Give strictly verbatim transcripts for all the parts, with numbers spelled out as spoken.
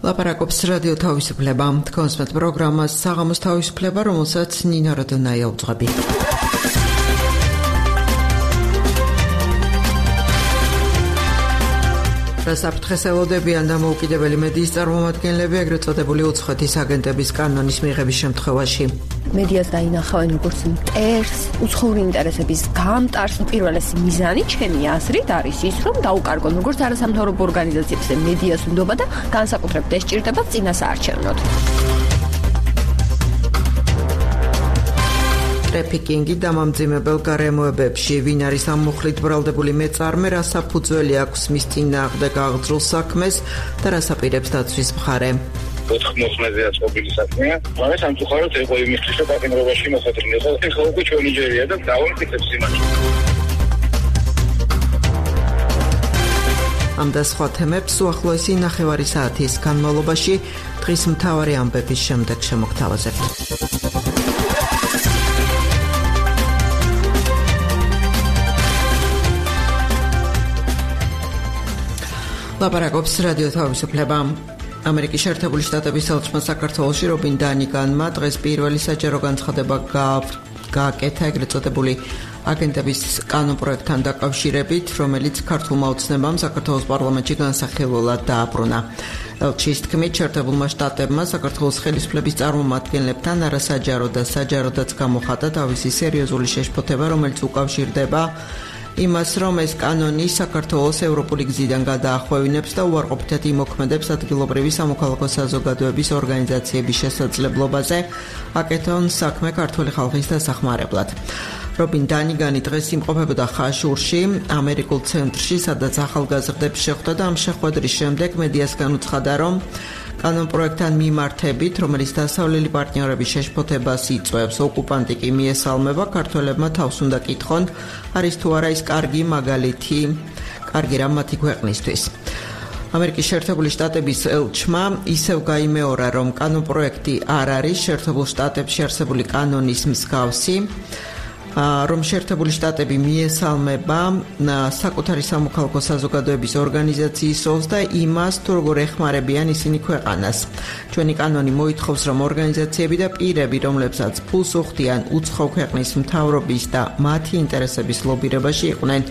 ლაპარაკობს რადიო თავისუფლება. თქვენს პროგრამას საღამოს თავისუფლება, რომელსაც ნინა როდონაია უძღვები. საფრთხეს ელოდებიან დამოუკიდებელი მედიის წარმომადგენლები, ეგრეთ წოდებული უცხოეთის აგენტების კანონის მიღების შემთხვევაში. მედიას დაინახავენ როგორც მტერს, უცხოური ინტერესების გამტარს. პირველესი მიზანი ჩემი აზრით არის ის, რომ დაუკარგონ როგორც არასამთავრობო ორგანიზაციებს მედიას უნდობა და განსაკუთრებით ეს ჭირდება წინასაარჩევნოდ. ტრეფიკინგი დამამძიმებელ გარემოებებში. ვინ არის ამ მუხლით ბრალდებული მეწარმე, რა საფუძველი აქვს მის წინააღმდეგ აღძრულ საქმეს და რას აპირებს დაცვის მხარე. ოთხ მოხმეზე აწყობილი საქმეა. მაგრამ სამწუხაროდ იყო იმისთვის, რომ პატიმრობაში მოხდრილიყო. ეხლა უკვე ჩვენი ჯერია და დავამტკიცებს იმას. ამ და სხვა თემებს უახლოესი ნახევარი საათის განმავლობაში დღის მთავარი ამბების შემდეგ შემოგთავაზებთ. ლაპარაკობს რადიო თავისუფლება. ამერიკის შეერთებული შტატების ელჩმა საქართველოში რობინ დანიგანმა დღეს პირველი საჯარო განცხადება გააკეთა ეგრეთ წოდებული აგენტების კანონპროექტთან დაკავშირებით, რომელიც ქართულმა ოცნებამ საქართველოს პარლამენტში განსახილველად დააბრუნა. ელჩის თქმით, შეერთებულმა შტატებმა საქართველოს ხელისუფლების წარმომადგენლებთან არასაჯარო და საჯაროდაც გამოხატა თავისი სერიოზული შეშფოთება, რომელიც უკავშირდება იმას, რომ ეს კანონი საქართველოს ევროპული გზიდან გადაახვევინებს და უარყოფითად იმოქმედებს ადგილობრივი სამოქალაქო საზოგადოების ორგანიზაციების შესაძლებლობაზე აკეთონ საქმე ქართული ხალხის დასახმარებლად. რობინ დანიგანი დღეს იმყოფებოდა ხაშურში, ამერიკულ ცენტრში, სადაც ახალგაზრდებს შეხვდა და ამ შეხვედრის შემდეგ მედიასგან უცხადა, რომ კანონპროექტთან მიმართებით, რომელიც დასავლელი პარტნიორების შეშფოთებას იწვევს, ოკუპანტი კი მიესალმება, ქართველებმა თავს უნდა კითხონ, არის თუ არა ის კარგი მაგალითი, კარგი რამ მათი ქვეყნისთვის. ამერიკის შეერთებული შტატების ელჩმა ისევ გაიმეორა, რომ კანონპროექტი არ არის შეერთებულ შტატებში არსებული კანონის მსგავსი, რომ შეერთებული შტატები მიესალმება საკუთარი სამოქალაქო საზოგადოების ორგანიზაციის როლს და იმას, თუ როგორ ეხმარებიან ისინი ქვეყანას. ჩვენი კანონი მოითხოვს, რომ ორგანიზაციები და პირები, რომლებსაც ფულს უხდიან უცხო ქვეყნის მთავრობის და მათი ინტერესების ლობირებაში, იყვნენ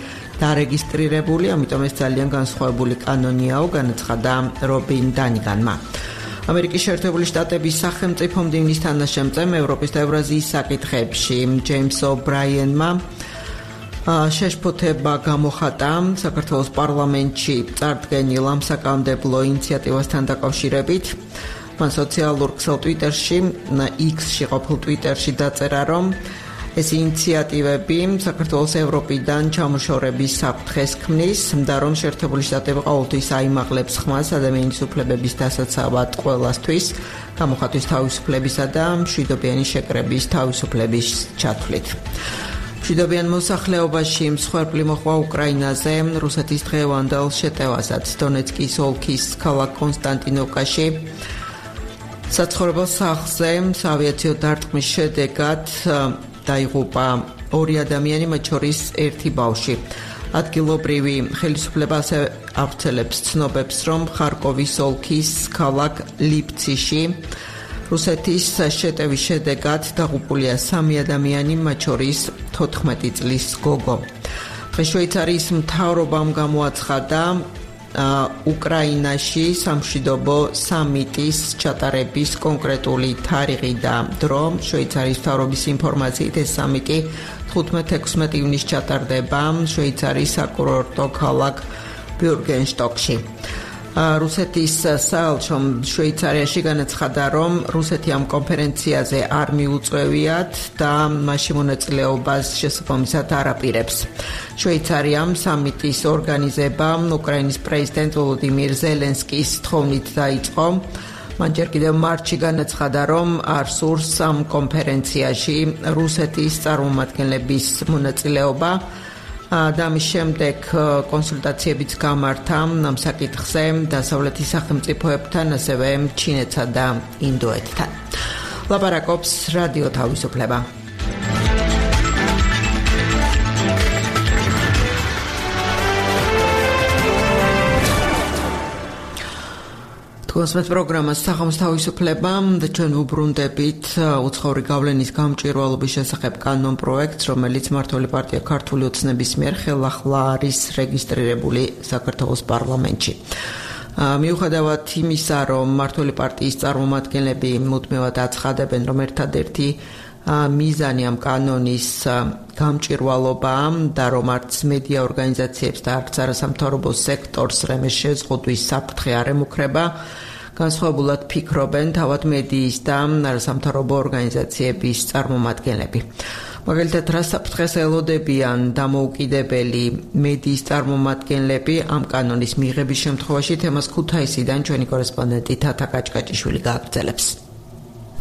დარეგისტრირებული, ამიტომ ეს ძალიან განსხვავებული კანონიაო, განაცხადა რობინ დანიგანმა. ამერიკის შეერთებული შტატების სახელმწიფო მდივნის თანაშემწემ ევროპის და ევრაზიის საკითხებში ჯეიმს ობრაიენმა შეშფოთება გამოხატა საქართველოს პარლამენტში წარდგენილ ამ საკანონმდებლო ინიციატივასთან დაკავშირებით. მან სოციალურ ქსელ ტვიტერში, X-ში ყოფილ ტვიტერში დაწერა, რომ ეს ინიციატივები საქართველოს ევროპიდან ჩამოშორების საფრთხეს ქმნის და რომ შეერთებული შტატები ყოველთვის აიმაღლებს ხმას ადამიანის უფლებების დასაცავად ყველასთვის, გამოხატვის თავისუფლებისა და მშვიდობიანი შეკრების თავისუფლების ჩათვლით. მშვიდობიან მოსახლეობაში მსხვერპლი მოხდა უკრაინაზე რუსეთის დღევანდელ შეტევასაც დონეცკის ოლქის ქალაქ კონსტანტინოვკაში. საცხოვრებელ სახლზე ავიაციო დარტყმის შედეგად დაიღუპა ორი ადამიანი, მათ შორის ერთი ბავშვი. ადგილობრივი ხელისუფლება ასე ავრცელებს ცნობებს, რომ ხარკოვის ოლქის ქალაქ ლიპციში რუსეთის შეტევის შედეგად დაღუპულია სამი ადამიანი, მათ შორის თოთხმეტი წლის გოგო. დღეს შვეიცარიის მთავრობამ გამოაცხადა უკრაინაში სამშვიდობო სამიტის ჩატარების კონკრეტული თარიღი და დრო. შვეიცარიის მთავრობის ინფორმაციით ეს სამიტი თხუთმეტ-ექვსმეტ ივნისს ჩატარდება შვეიცარიის საკურორტო ქალაქ ბიურგენშტოკში. რუსეთის საელჩომ შვეიცარიაში განაცხადა, რომ რუსეთი ამ კონფერენციაზე არ მიუწვევიათ და მასში მონაწილეობას შესაბამისად არ აპირებს. შვეიცარიამ სამიტის ორგანიზება უკრაინის პრეზიდენტ ვოლოდიმირ ზელენსკის თხოვნით დაიწყო. მან ჯერ კიდევ მარტში განაცხადა, რომ არ სურს ამ კონფერენციაში რუსეთის წარმომადგენლების მონაწილეობა. და ამის შემდეგ კონსულტაციებიც გამართა ამ საკითხზე დასავლეთის სახელმწიფოებთან, ასევე ჩინეთსა და ინდოეთთან. ლაპარაკობს რადიო თავისუფლება. თქვენს პროგრამას სახელმწიფო თავისუფლება და ჩვენ ვუბრუნდებით უცხოური გავლენის გამჭვირვალობის შესახებ კანონ პროექტს, რომელიც მმართველი პარტია ქართული ოცნების მიერ ხელახლა არის რეგისტრირებული საქართველოს პარლამენტში. მიუხედავად იმისა, რომ მმართველი პარტიის წარმომადგენლები მუდმივად აცხადებენ, რომ ერთადერთი მიზანი ამ კანონის გამჭვირვალობაა და რომ არც მედია ორგანიზაციებს და არც არასამთავრობო სექტორს რემეს შეზღუდვის საფრთხე არ ემუქრება, განსხვავებულად ფიქრობენ თავად მედიის და არასამთავრობო ორგანიზაციების წარმომადგენლები. მაგალითად, რა საფრთხეს ელოდებიან დამოუკიდებელი მედიის წარმომადგენლები ამ კანონის მიღების შემთხვევაში, თემას ქუთაისიდან ჩვენი კორესპონდენტი თათა კაჭკაჭიშვილი გააგრძელებს.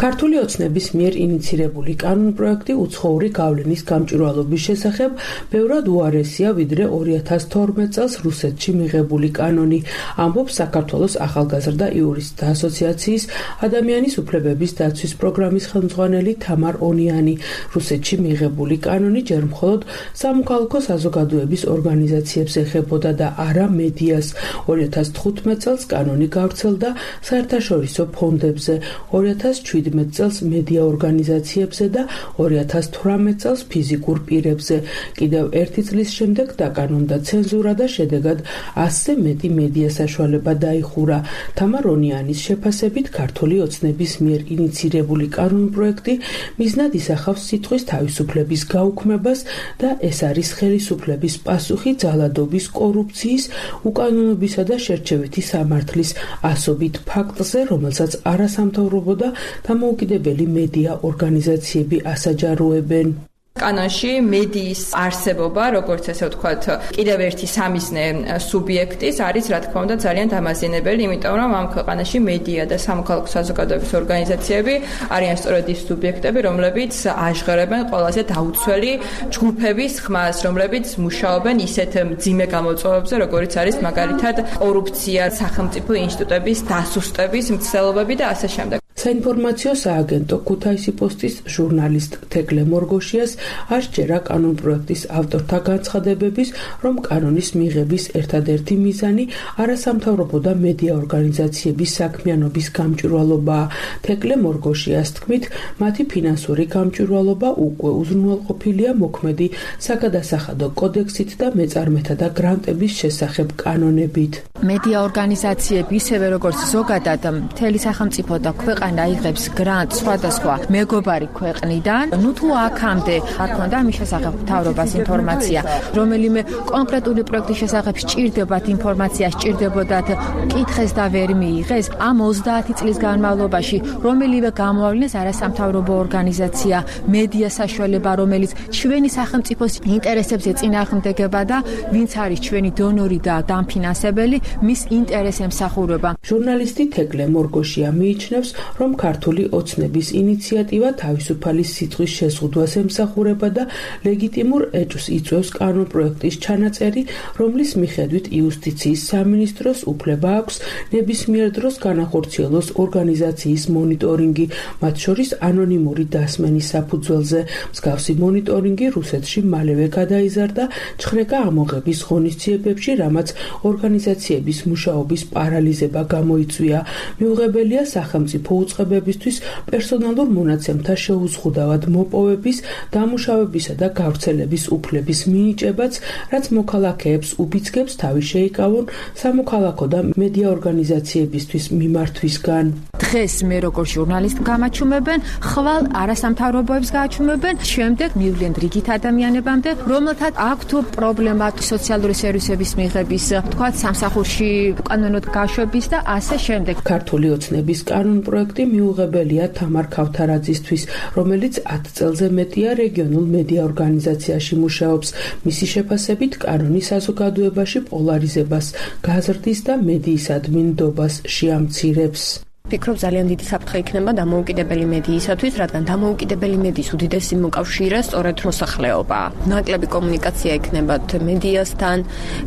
ქართული ოცნების მიერ ინიცირებული კანონ პროექტი უცხოური გავლენის გამჭვირვალობის შესახებ ბევრად უარესია, ვიდრე ორი ათას თორმეტ წელს რუსეთში მიღებული კანონი, ამბობს საქართველოს ახალგაზრდა იურისტთა ასოციაციის ადამიანის უფლებების დაცვის პროგრამის ხელმძღვანელი თამარ ონიანი. რუსეთში მიღებული კანონი ჯერ მხოლოდ სამოქალაქო საზოგადოების ორგანიზაციებს ეხებოდა და არა მედიას. ორი ათას თხუთმეტ წელს კანონი გავრცელდა საერთაშორისო ფონდებზე, ორი ათას შვიდმეტ წელს მედია ორგანიზაციებზე და ორი ათას თვრამეტ წელს ფიზიკურ პირებზე. კიდევ ერთი წლის შემდეგ დაკანონდა ცენზურა და შედეგად ასზე მეტი მედია საშუალება დაიხურა. თამარ ონიანის შეფასებით, ქართული ოცნების მიერ ინიცირებული კანონ პროექტი მიზნად ისახავს სიტყვის თავისუფლების გაუქმებას და ეს არის ხელისუფლების პასუხი ძალადობის, კორუფციის, უკანონობისა და შერჩევითი სამართლის ასობით ფაქტზე, რომელსაც არასამთავრობო და დამოუკიდებელი მედია ორგანიზაციები ასაჯაროებენ. კანონში მედიის არსებობა, როგორც ესე ვთქვათ, კიდევ ერთი სამიზნე სუბიექტის არის, რა თქმა უნდა, ძალიან დამაზიანებელი, იმიტომ რომ ამ ქვეყანაში მედია და სამოქალაქო საზოგადოების ორგანიზაციები არიან სწორედ ის სუბიექტები, რომლებიც აჟღერებენ ყველაზე დაუცველი ჯგუფების ხმას, რომლებიც მუშაობენ ისეთ მძიმე გამოწვევებზე, როგორიც არის მაგალითად კორუფცია, სახელმწიფო ინსტიტუტების დასუსტების მცდელობები და ასე შემდეგ. საინფორმაციო სააგენტო ქუთაისი პოსტის ჟურნალისტ თეკლე მორგოშიას არ სჯერა კანონ პროექტის ავტორთა განცხადებების, რომ კანონის მიღების ერთადერთი მიზანი არასამთავრობო და მედია ორგანიზაციების საქმიანობის გამჭვირვალობაა. თეკლე მორგოშიას თქმით, მათი ფინანსური გამჭვირვალობა უკვე უზრუნველყოფილია მოქმედი საგადასახადო კოდექსით და მეწარმეთა და გრანტების შესახებ კანონებით. მედია ორგანიზაციები ისევე როგორც ზოგადად მთელი სახელმწიფო და ქვეყანა იღებს გრანტს სხვადასხვა მეგობარი ქვეყნიდან. ნუ თუ აქამდე არ ქონდა მის შესახებ მთავრობას ინფორმაცია, რომელიმე კონკრეტული პროექტის შესახებ სჭირდებათ ინფორმაცია, სჭირდებოდათ კითხეს და ვერ მიიღეს, ამ ოცდაათი წლის განმავლობაში რომელიმე გამოავლინეს არასამთავრობო ორგანიზაცია, მედია საშუალება, რომელიც ჩვენი სახელმწიფოს ინტერესებს ეწინააღმდეგება და ვინც არის ჩვენი დონორი და დამფინანსებელი, მის ინტერესს ემსახურება. ჟურნალისტი თეკლე მორგოშია მიიჩნევს, რომ ქართული ოცნების ინიციატივა თავისუფალი სიტყვის შეზღუდვას ემსახურება და ლეგიტიმურ ეჭვს იწვევს კანონ პროექტის ჩანაწერი, რომლის მიხედვით იუსტიციის სამინისტროს უფლება აქვს ნებისმიერ დროს განახორციელოს ორგანიზაციის მონიტორინგი, მათ შორის ანონიმური დასმენის საფუძველზე. მსგავსი მონიტორინგი რუსეთში მალევე გადაიზარდა ჩხრეკა ამოღების ღონისძიებებში, რამაც ორგანიზაციების მუშაობის პარალიზება გამოიწვია. მიუღებელია სახელმწიფო უწყებებისთვის პერსონალურ მონაცემთა შეუზღუდავად მოპოვების, დამუშავებისა და გავრცელების უფლების მინიჭებაც, რაც მოქალაქეებს უბიძგებს თავი შეიკავონ სამოქალაქო და მედია ორგანიზაციებისთვის მიმართვისგან. დღეს მე როგორც ჟურნალისტი გამაჩუმებენ, ხვალ არასამთავრობოებს გააჩუმებენ, შემდეგ მივლენ რიგით ადამიანებამდე, რომელთაც აქვთ პრობლემა სოციალური სერვისების მიღების, თქვათ სამსახურში კანონოდ გაშვების და ასე შემდეგ. ქართული ოცნების კანონ პროექტი მიუღებელია თამარ ქავთარაძისთვის, რომელიც ათ წელზე მეტია რეგიონულ მედია ორგანიზაციაში მუშაობს. მისი შეფასებით კანონი საზოგადოებაში პოლარიზებას, გაზრდის და მედიისადმი ნდობას შეამცირებს. ვფიქრობ, ძალიან დიდი საფრთხე იქნება დამოუკიდებელი მედიისათვის, რადგან დამოუკიდებელი მედიის უდიდესი მოკავშირე სწორედ მოსახლეობაა. ნაკლები კომუნიკაცია იქნება მედიასთან,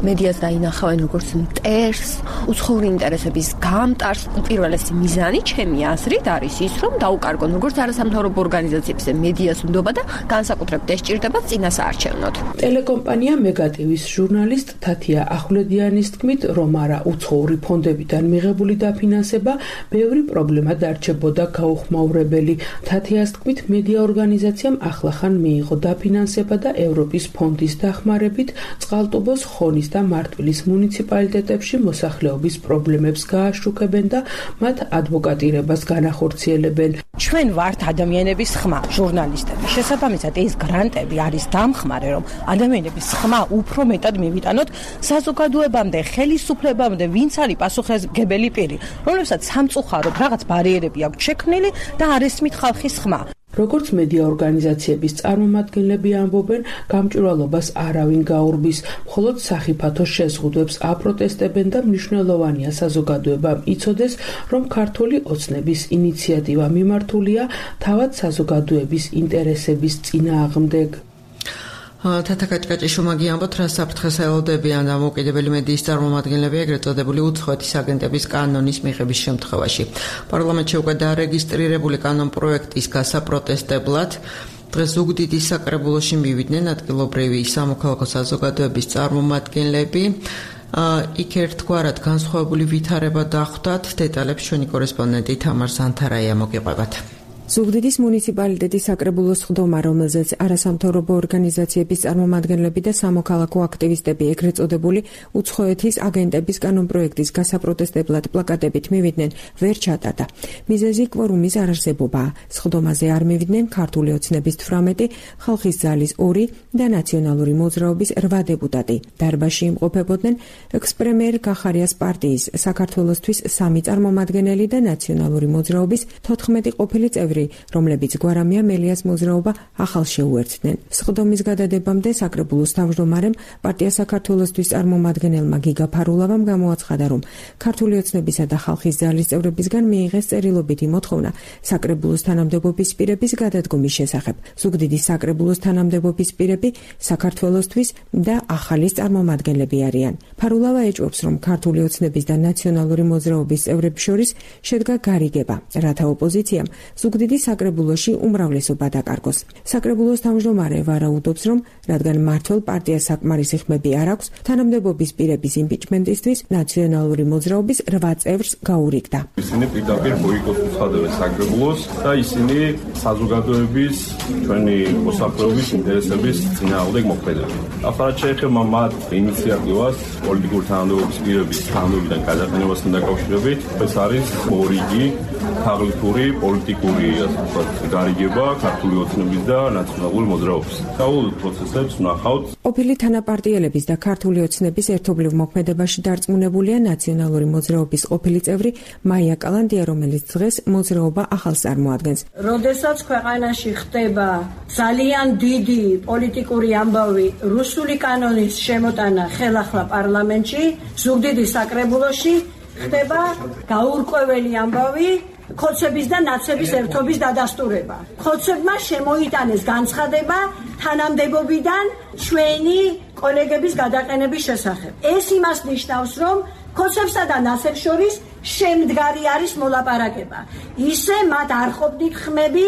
მედიას დაინახავენ როგორც მტერს, უცხოური ინტერესების გამტარს. პირველესი მიზანი ჩემი აზრით არის ის, რომ დაუკარგონ როგორც არასამთავრობო ორგანიზაციებზე მედიას უნდობა და განსაკუთრებით ეს ჭირდება წინასაარჩევნოდ. ტელეკომპანია მეგატივის ჟურნალისტ თათია ახვლედიანის თქმით, რომ არა უცხოური ფონდებიდან მიღებული დაფინანსება ბევრი პრობლემა დარჩებოდა გაუხმაურებელი. თათიას თქმით, მედია ორგანიზაციამ ახლახან მიიღო დაფინანსება და ევროპის ფონდის დახმარებით წყალტუბოს, ხონის და მარტვილის მუნიციპალიტეტებში მოსახლეობის პრობლემებს გააშუქებენ და მათ ადვოკატირებას განახორციელებენ. ჩვენ ვართ ადამიანების ხმა, ჟურნალისტები. შესაბამისად, ეს გრანტები არის დამხმარე, რომ ადამიანების ხმა უფრო მეტად მივიტანოთ საზოგადოებამდე, ხელისუფლებამდე, ვინც არის პასუხისმგებელი პირი, რომლებსაც სამწუხაროდ რაღაც ბარიერები აქვს შექმნილი და არ ესმით ხალხის ხმა. როგორც მედია ორგანიზაციების წარმომადგენლები ამბობენ, გამჭვირვალობას არავინ გაურბის, მხოლოდ სახიფათო შეზღუდვებს აპროტესტებენ და მნიშვნელოვანია საზოგადოებამ იცოდეს, რომ ქართული ოცნების ინიციატივა მიმართულია თავად საზოგადოების ინტერესების წინააღმდეგ. თათა კაჭკაჭიშვილმა გიამბოთ, რა საფრთხეს ელოდებიან დამოუკიდებელი მედიის წარმომადგენლები ეგრეთ წოდებული უცხოეთის აგენტების კანონის მიღების შემთხვევაში. პარლამენტში უკვე დარეგისტრირებული კანონ პროექტის გასაპროტესტებლად დღეს ზუგდიდის საკრებულოში მივიდნენ ადგილობრივი სამოქალაქო საზოგადოების წარმომადგენლები. იქ ერთგვარად განსხვავებული ვითარება დახვდათ. დეტალებს ჩვენი კორესპონდენტი თამარ ზანთარაია მოგიყვებათ. ზუგდიდის მუნიციპალიტეტის საკრებულოს ხდომა, რომელზეც არასამთავრობო ორგანიზაციების წარმომადგენლები და სამოქალაქო აქტივისტები ეგრეთ წოდებული უცხოეთის აგენტების კანონპროექტის გასაპროტესტებლად პლაკატებით მივიდნენ, ვერ ჩატარდა. მიზეზი კვორუმის არარსებობაა. სხდომაზე არ მივიდნენ ქართული ოცნების თვრამეტი, ხალხის ძალის ორი და ნაციონალური მოძრაობის რვა დეპუტატი. დარბაზში იმყოფებოდნენ ექს-პრემიერ კახარიას პარტიის საქართველოსთვის სამი წარმომადგენელი და ნაციონალური მოძრაობის თოთხმეტი ყოფილი წევრი, რომლებიც გვარამია მელიას მოძრაობა ახალ შეუერთდნენ. სხდომის გადადებამდე საკრებულოს თავმჯდომარემ პარტია საქართველოსთვის წარმომადგენელმა გიგა ფარულავამ გამოაცხადა, რომ ქართული ოცნებისა და ხალხის ძალის წევრებისგან მიიღეს წერილობითი მოთხოვნა საკრებულოს თანამდებობის პირების გადადგომის შესახებ. ზუგდიდის საკრებულოს თანამდებობის პირები საქართველოსთვის და ახალის წარმომადგენლები არიან. ფარულავა ეჭვობს, რომ ქართული ოცნების და ნაციონალური მოძრაობის წევრებს შორის შედგა გარიგება, რათა ოპოზიციამ ზუგდიდის საკრებულოში უმრავლესობა დაკარგოს. საკრებულოს თავმჯდომარე ვარაუდობს, რომ რადგან მმართველ პარტიას საკმარისი ხმები არ აქვს, თანამდებობის პირების იმპიჩმენტისთვის ნაციონალური მოძრაობის რვა წევრს გაურიგდა. ისინი პირდაპირ ბოიკოტს უცხადებენ საკრებულოს და ისინი საზოგადოების ჩვენი მოსახლეობის ინტერესების წინააღმდეგ მოქმედებენ. ახლა შეეხება მათ ინიციატივას პოლიტიკური თანამდებობის პირების თანამდებობიდან გადაყენებასთან დაკავშირებით, ეს არის ორიგი თაღლითური პოლიტიკური გარიგება ქართული ოცნების და ნაციონალური მოძრაობის. საულ პროცესებს ვნახავთ. ყოფილი თანაპარტიელების და ქართული ოცნების ერთობლივ მოქმედებაში დარწმუნებულია ნაციონალური მოძრაობის ყოფილი წევრი მაია კალანდია, რომელიც დღეს მოძრაობა ახალს წარმოადგენს. როდესაც ქვეყანაში ხდება ძალიან დიდი პოლიტიკური ამბავი რუსული კანონის შემოტანა ხელახლა პარლამენტში, ზუგდიდის საკრებულოში ხდება გაურკვეველი ამბავი ხოცების და ნაცების ერთობის დადასტურება. ხოცებმა შემოიტანეს განცხადება თანამდებობიდან ჩვენი კოლეგების გადაყენების შესახებ. ეს იმას ნიშნავს, რომ ხოცებსა და ნაცებს შორის შემდგარი არის მოლაპარაკება. ისე მათ არ ყოფნით ხმები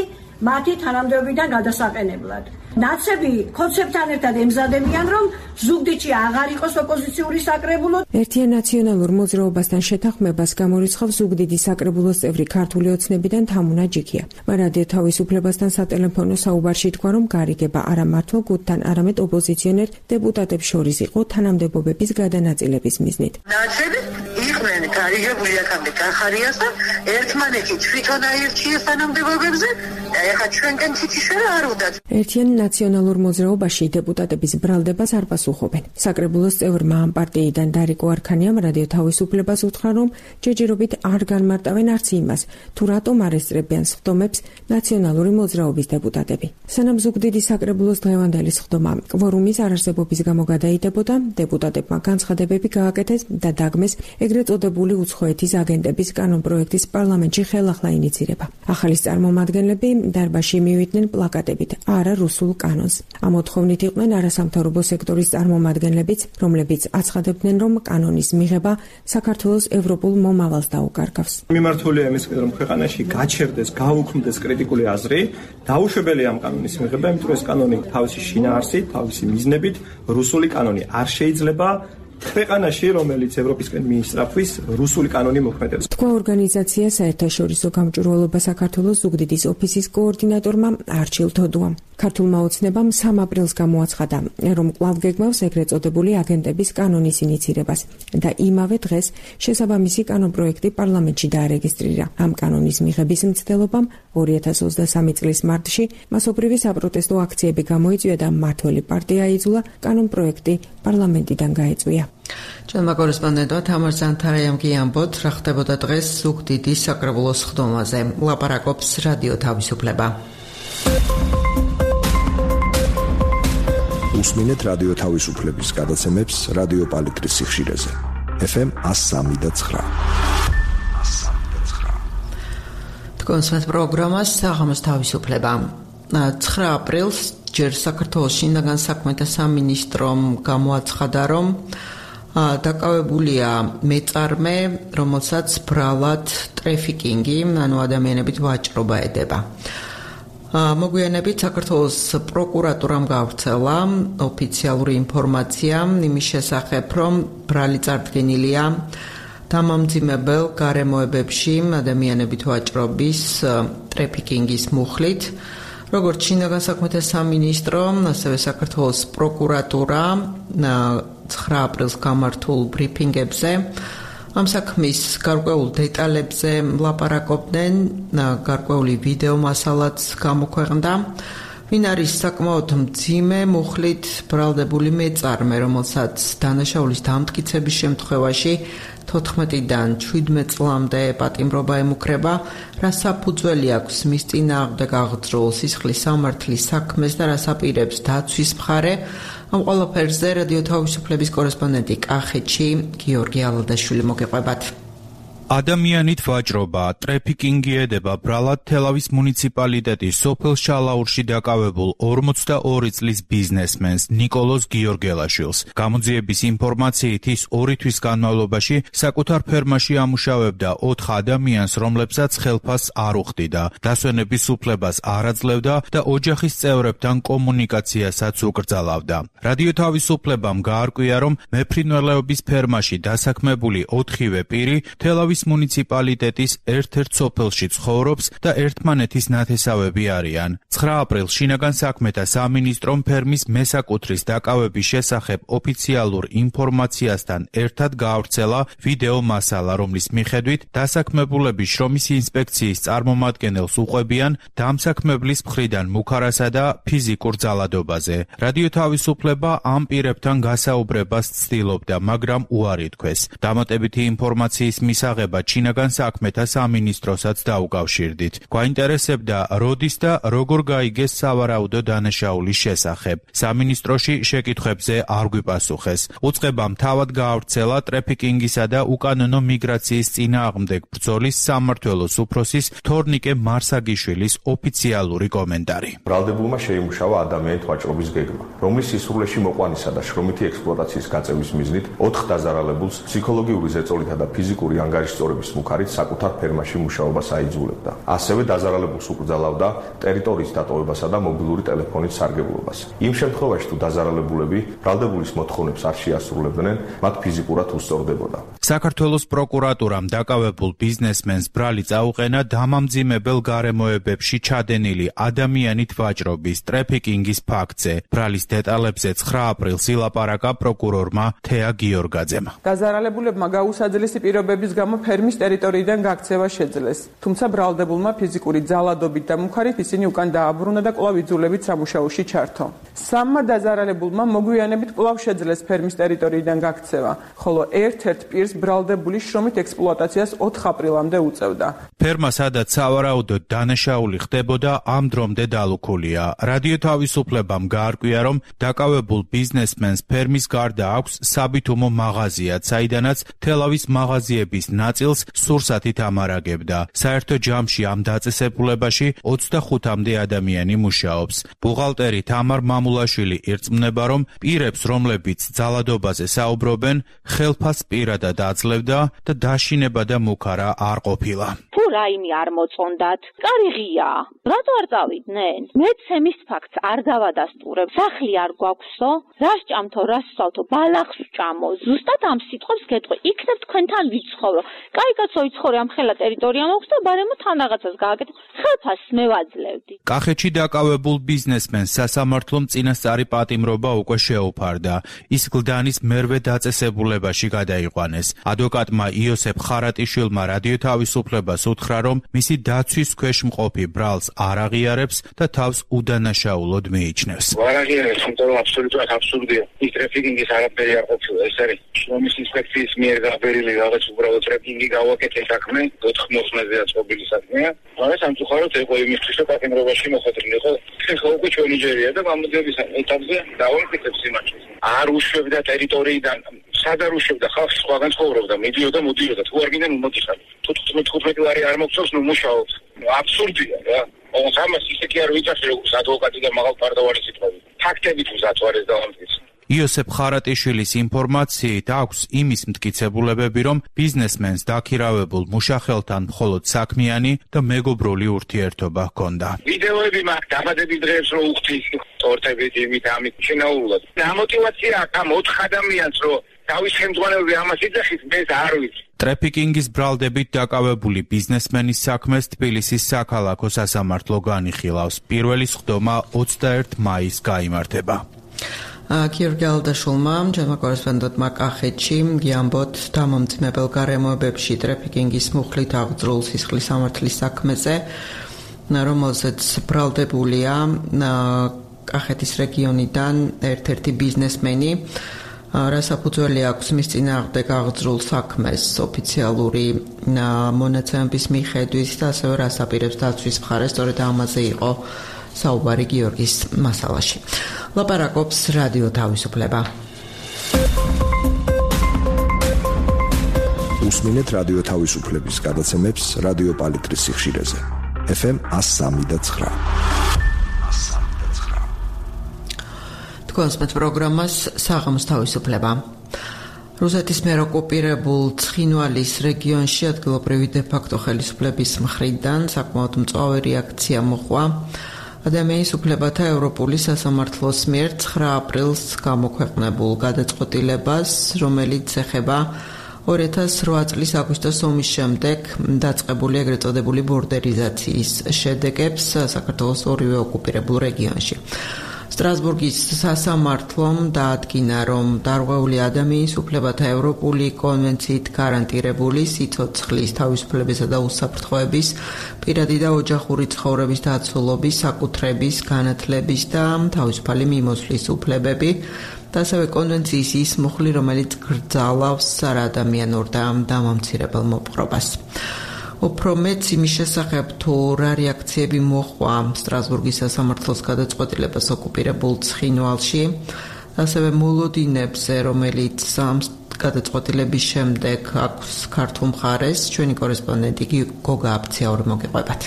მათი თანამდებობიდან გადასაყენებლად. ნაცები ხოცებთან ერთად ემზადებიან, რომ ზუგდიდში აღარ იყოს ოპოზიციური საკრებულო. ერთიან ნაციონალურ მოძრაობასთან შეთანხმებას გამორიცხავს ზუგდიდის საკრებულოს წევრი ქართული ოცნებიდან თამუნა ჯიქია. რადიო თავისუფლებასთან სატელეფონო საუბარში თქვა, რომ გარიგება არა მართლ გუნდთან, არამედ ოპოზიციონერ დეპუტატებს შორის იყო თანამდებობების გადანაწილების მიზნით. ნაცები იყვნენ გარიგებული აქამდე კახარიასთან, ერთმანეთი თვითონ აირჩიეს თანამდებობებზე ეხლა ჩვენგან ციციშვილა არ უდათ. ერთიან ნაციონალურ მოძრაობაში დეპუტატების ბრალდებას არ პასუხობენ. საკრებულოს წევრმა ამ პარტიიდან დარიკო არქანიამ რადიო თავისუფლებას უთხრა, რომ ჯერჯერობით არ განმარტავენ არც იმას, თუ რატომ არ ესწრებიან სხდომებს ნაციონალური მოძრაობის დეპუტატები. სანამ ზუგდიდის საკრებულოს დღევანდელი სხდომა კვორუმის არარსებობის გამო გადაიდებოდა, დეპუტატებმა განცხადებები გააკეთეს და დაგმეს ეგრეთ წოდებული უცხოეთის აგენტების კანონპროექტის პარლამენტში ხელახლა ინიცირება. ახალის წარმომადგენლები დარბაზში მივიდნენ პლაკატებით არა რუსულ კანონს. ამ მოთხოვნით იყვნენ არასამთავრობო სექტორის წარმომადგენლებიც, რომლებიც აცხადებდნენ, რომ კანონის მიღება საქართველოს ევროპულ მომავალს დაუკარგავს. მიმართულია იმისკენ, რომ ქვეყანაში გაჩერდეს, გაუქმდეს კრიტიკული აზრი, დაუშვებელია ამ კანონის მიღება, იმიტომ რომ ეს კანონი თავისი შინაარსით, თავისი მიზნებით, რუსული კანონი არ შეიძლება ქვეყანაში, რომელიც ევროპისკენ მიისწრაფვის, რუსული კანონი მოქმედებს. თქვა ორგანიზაცია საერთაშორისო გამჭვირვალობა საქართველოს ზუგდიდის ოფისის კოორდინატორმა არჩილ თოდუამ. ქართულმა ოცნებამ სამ აპრილს გამოაცხადა, რომ კვლავ გეგმავს ეგრეთ წოდებული აგენტების კანონის ინიცირებას და იმავე დღეს შესაბამისი კანონპროექტი პარლამენტში დაარეგისტრირა. ამ კანონის მიღების მცდელობამ ორი ათას ოცდასამი წლის მარტში მასობრივი საპროტესტო აქციები გამოიწვია და მმართველი პარტია აიძულა კანონპროექტი პარლამენტიდან გაეწვია. ჩვენმა კორესპონდენტმა თამარ ზანთარაიამ გიამბოთ, რა ხდებოდა დღეს ზუგდიდის საკრებულოს სხდომაზე. ლაპარაკობს რადიო თავისუფლება. უსმინეთ რადიო თავისუფლების გადაცემებს რადიო პალიტრის სიხშირეზე. ეფ ემ one oh three point nine. თქვენს პროგრამას საღამოს თავისუფლება. ცხრა აპრილს ჯერ საქართველოს შინაგან საქმეთა სამინისტრომ გამოაცხადა, რომ დაკავებულია მეწარმე, რომელსაც ბრალად ტრეფიკინგი, ანუ ადამიანებით ვაჭრობა ედება. მოგვიანებით საქართველოს პროკურატურამ გავრცელა ოფიციალური ინფორმაცია იმის შესახებ, რომ ბრალი წარდგენილია დამამძიმებელ გარემოებებში ადამიანებით ვაჭრობის ტრეფიკინგის მუხლით. როგორც შინაგან საქმეთა სამინისტრო, ასევე საქართველოს პროკურატურა ცხრა აპრილს გამართულ ბრიფინგებზე ამ საქმის გარკვეულ დეტალებზე ლაპარაკობდნენ, გარკვეული ვიდეო მასალაც გამოქვეყნდა. ვინ არის საკმაოდ მძიმე მუხლით ბრალდებული მეწარმე, რომელსაც დანაშაულის დამტკიცების შემთხვევაში თოთხმეტიდან შვიდმეტ წლამდე პატიმრობა ემუქრება, რა საფუძველი აქვს მის წინააღმდეგ აღძრულ სისხლის სამართლის საქმეს და რა საპირებს დაცვის მხარე. ამ ყველაფერზე რადიო თავისუფლების კორესპონდენტი კახეთში გიორგი ალადაშვილი მოგეყვებათ. ადამიანით ვაჭრობა, ტრეფიკინგი ედება ბრალად თელავის მუნიციპალიტეტის სოფელ შალაურში დაკავებულ ორმოცდაორი წლის ბიზნესმენს ნიკოლოზ გიორგელაშვილს. გამოძიების ინფორმაციით ის ორი თვის განმავლობაში საკუთარ ფერმაში ამუშავებდა ოთხ ადამიანს, რომლებსაც ხელფასს არ უხდიდა, დასვენების უფლებას არ აძლევდა და ოჯახის წევრებთან კომუნიკაციასაც უკრძალავდა. რადიო თავისუფლებამ გაარკვია, რომ მეფრინველეობის ფერმაში დასაქმებული ოთხივე პირი თელავის მუნიციპალიტეტის ერთ-ერთ სოფელში ცხოვრობს და ერთმანეთის ნათესავები არიან. ცხრა აპრილს შინაგან საქმეთა სამინისტრომ ფერმის მესაკუთრის დაკავების შესახებ ოფიციალურ ინფორმაციასთან ერთად გაავრცელა ვიდეო მასალა, რომლის მიხედვით დასაქმებულები შრომის ინსპექციის წარმომადგენელს უყვებიან დამსაქმებლის მხრიდან მუქარასა და ფიზიკურ ძალადობაზე. რადიო თავისუფლება ამ პირებთან გასაუბრებას ცდილობდა, მაგრამ უარი თქვეს. დამატებითი ინფორმაციის მისაღებად შინაგან საქმეთა სამინისტროსაც დაუკავშირდით. გვაინტერესებდა, როდის და როგორ გაიგეს სავარაუდო დანაშაულის შესახებ. სამინისტროში შეკითხვებზე არ გვიპასუხეს. უწყებამ თავად გაავრცელა ტრეფიკინგისა და უკანონო მიგრაციის წინააღმდეგ ბრძოლის სამმართველოს უფროსის თორნიკე მარსაგიშვილის ოფიციალური კომენტარი. ბრალდებულმა შეიმუშავა ადამიანით ვაჭრობის გეგმა, რომლის სისრულეში მოყვანისა და შრომითი ექსპლუატაციის გაწევის მიზნით ოთხ დაზარალებულს ფსიქოლოგიური ზეწოლითა და ფიზიკური ანგარიშწორების მუხარით საკუთარ ფერმაში მუშაობას აიძულებდა. ასევე დაზარალებულს უკრძალავდა ტერიტორიის დატოვებასა და მობილური ტელეფონით სარგებლობას. იმ შემთხვევაში, თუ დაზარალებულები ბრალდებულის მოთხოვნებს არ შეასრულებდნენ, მათ ფიზიკურად უსწორდებოდა. საქართველოს პროკურატურამ დაკავებულ ბიზნესმენს ბრალი წაუყენა დამამძიმებელ გარემოებებში ჩადენილი ადამიანით ვაჭრობის ტრეფიკინგის ფაქტზე. ბრალის დეტალებზე ცხრა აპრილს ილაპარაკა პროკურორმა თეა გიორგაძემ. დაზარალებულებმა გაუსაძლისი პირობების გამო ფერმის ტერიტორიიდან გაქცევა შეძლეს. თუმცა ბრალდებულმა ფიზიკური ძალადობით და მუხარით ისინი უკან დააბრუნა და კვლავ იძულებით სამუშაოში ჩართო. სამმა დაზარალებულმა მოგვიანებით კვლავ შეძლეს ფერმის ტერიტორიიდან გაქცევა, ხოლო ერთ-ერთ პირს ბრალდებული შრომით ექსპლუატაციას ოთხ აპრილამდე უწევდა. ფერმა, სადაც სავარაუდოდ დანაშაული ხდებოდა, ამ დრომდე დალუქულია. რადიო თავისუფლებამ გაარკვია, რომ დაკავებულ ბიზნესმენს ფერმის გარდა აქვს საბითუმო მაღაზიაც, საიდანაც თელავის მაღაზიების ნაწილს სურსათით ამარაგებდა. საერთო ჯამში ამ დაწესებულებაში ოცდახუთამდე ადამიანი მუშაობს. ბუღალტერი თამარ მამულაშვილი ირწმუნება, რომ პირებს, რომლებიც ძალადობაზე საუბრობენ, ხელფას პირადად აძლევდა და დაშინება და მუქარა არ ყოფილა. თუ რაიმე არ მოწონდათ, კარი ღიაა. რატო არ წავიდნენ? მეც ემის ფაქტს არ დავადასტურებ. სახლი არ გვაქვსო? რა სჭამთო, რა სწავთო, ბალახს ვჭამო. ზუსტად ამ სიტყვებს გეტყვი. იქნებ თქვენთან ვიცხოვრო. კაი კაცო იცხოვრე ამ ხელა ტერიტორია მაქვს და ბარემო თან რაღაცას გააკეთო. ხელფას მე ვაძლევდი. კახეთში დაკავებულ ბიზნესმენს სასამართლომ წინასწარი პატიმრობა უკვე შეუფარდა. ის გლდანის მერვე დაწესებულებაში გადაიყვანეს. ადვოკატმა იოსებ ხარატიშვილმა რადიო თავისუფლებას უთხრა, რომ მისი დაცვის ქვეშ მყოფი ბრალს არ აღიარებს და თავს უდანაშაულოდ მიიჩნევს. არ აღიარებს, იმიტომ რომ აბსოლუტურად აბსურდია. ის ტრეფიკინგის არაფერი არ ყოფილა, ეს არის შრომის ინსპექციის მიერ გაბერილი რაღაც უბრალოდ ტრეფიკინგი გავაკეთე საქმე, ოთხ მოსმენზეა წყობილი საქმეა. მაგრამ სამწუხაროდ ეყო იმისთვის, რომ პატიმრობაში მოხდრილიყო. ეხლა უკვე ჩვენი ჯერია და მამოძების ეტაპზე დავამტკიცებს იმაჩეს. არ უშვებდა ტერიტორიიდან, სად არ უშვებდა, ხალხი სხვაგან ცხოვრობდა, მიდიოდა, მოდიოდა, თუ არ გინდა მომოდიხარ. თუ თხუთმეტი ლარი არ მოგწევს, ნუ მუშაობ. აბსურდია რა. ოღონდ ამას ისე კი არ ვიცახი, როგორც ადვოკატი და მაღალ პარდავარი სიტყვები. ფაქტებით უზათვარეს დავამტკიცე. იოსებ ხარატიშვილის ინფორმაციით აქვს იმის მტკიცებულებები, რომ ბიზნესმენს დაქირავებულ მუშახელთან მხოლოდ საქმიანი და მეგობრული ურთიერთობა ჰქონდა. ვიდეოები მაქვს დაბადების დღეებს რო უხდის, ტორტებით, იმით, ამით შინაურულად. ამოტივაცია აქვს ამ ოთხ ადამიანს, რომ თავის ხელმძღვანელები ამას იძახის, მე არ ვიცი. ტრეფიკინგის ბრალდებით დაკავებული ბიზნესმენის საქმეს თბილისის საქალაქო სასამართლო განიხილავს. პირველი სხდომა ოცდაერთი მაისს გაიმართება. გიორგი ალდაშულმა, ჯერმა კორესპონდენტმა კახეთში გიამბოთ დამამძიმებელ გარემოებებში ტრეფიკინგის მუხლით აღძრულ სისხლის სამართლის საქმეზე, რომელზეც ბრალდებულია კახეთის რეგიონიდან ერთ-ერთი ბიზნესმენი. რა საფუძველი აქვს მის წინააღმდეგ აღძრულ საქმეს ოფიციალური მონაცემების მიხედვით და ასევე რას აპირებს დაცვის მხარე, სწორედ ამაზე იყო საუბარი გიორგის მასალაში. ლაპარაკობს რადიო თავისუფლება. უსმინეთ რადიო თავისუფლების გადაცემებს რადიო პალიტრის სიხშირეზე. ეფ ემ one oh three point nine. თქვენს პროგრამას საღამოს თავისუფლება. რუსეთის მიერ ოკუპირებულ ცხინვალის რეგიონში ადგილობრივი დე-ფაქტო ხელისუფლების მხრიდან საკმაოდ მწვავე რეაქცია მოჰყვა ადამიანის უფლებათა ევროპული სასამართლოს მიერ ცხრა აპრილს გამოქვეყნებულ გადაწყვეტილებას, რომელიც ეხება ორი ათას რვა წლის აგვისტოს ომის შემდეგ დაწყებული ეგრეთ წოდებული ბორდერიზაციის შედეგებს საქართველოს ორივე ოკუპირებულ რეგიონში. სტრასბურგის სასამართლომ დაადგინა, რომ დარღვეული ადამიანის უფლებათა ევროპული კონვენციით გარანტირებული სიცოცხლის, თავისუფლებისა და უსაფრთხოების, პირადი და ოჯახური ცხოვრების დაცულობის, საკუთრების, განათლების და თავისუფალი მიმოსვლის უფლებები და ასევე კონვენციის ის მუხლი, რომელიც გრძალავს საადამიანურ და დამამცირებელ მოპყრობას. უფრო მეც იმის შესახებ, თუ რა რეაქციები მოჰყვა სტრასბურგის სასამართლოს გადაწყვეტილებას ოკუპირებულ ცხინვალში, ასევე მოლოდინებზე, რომელიც გადაწყვეტილების შემდეგ აქვს ქართულ მხარეს, ჩვენი კორესპონდენტი გოგა აფციაური მოგიყვებათ.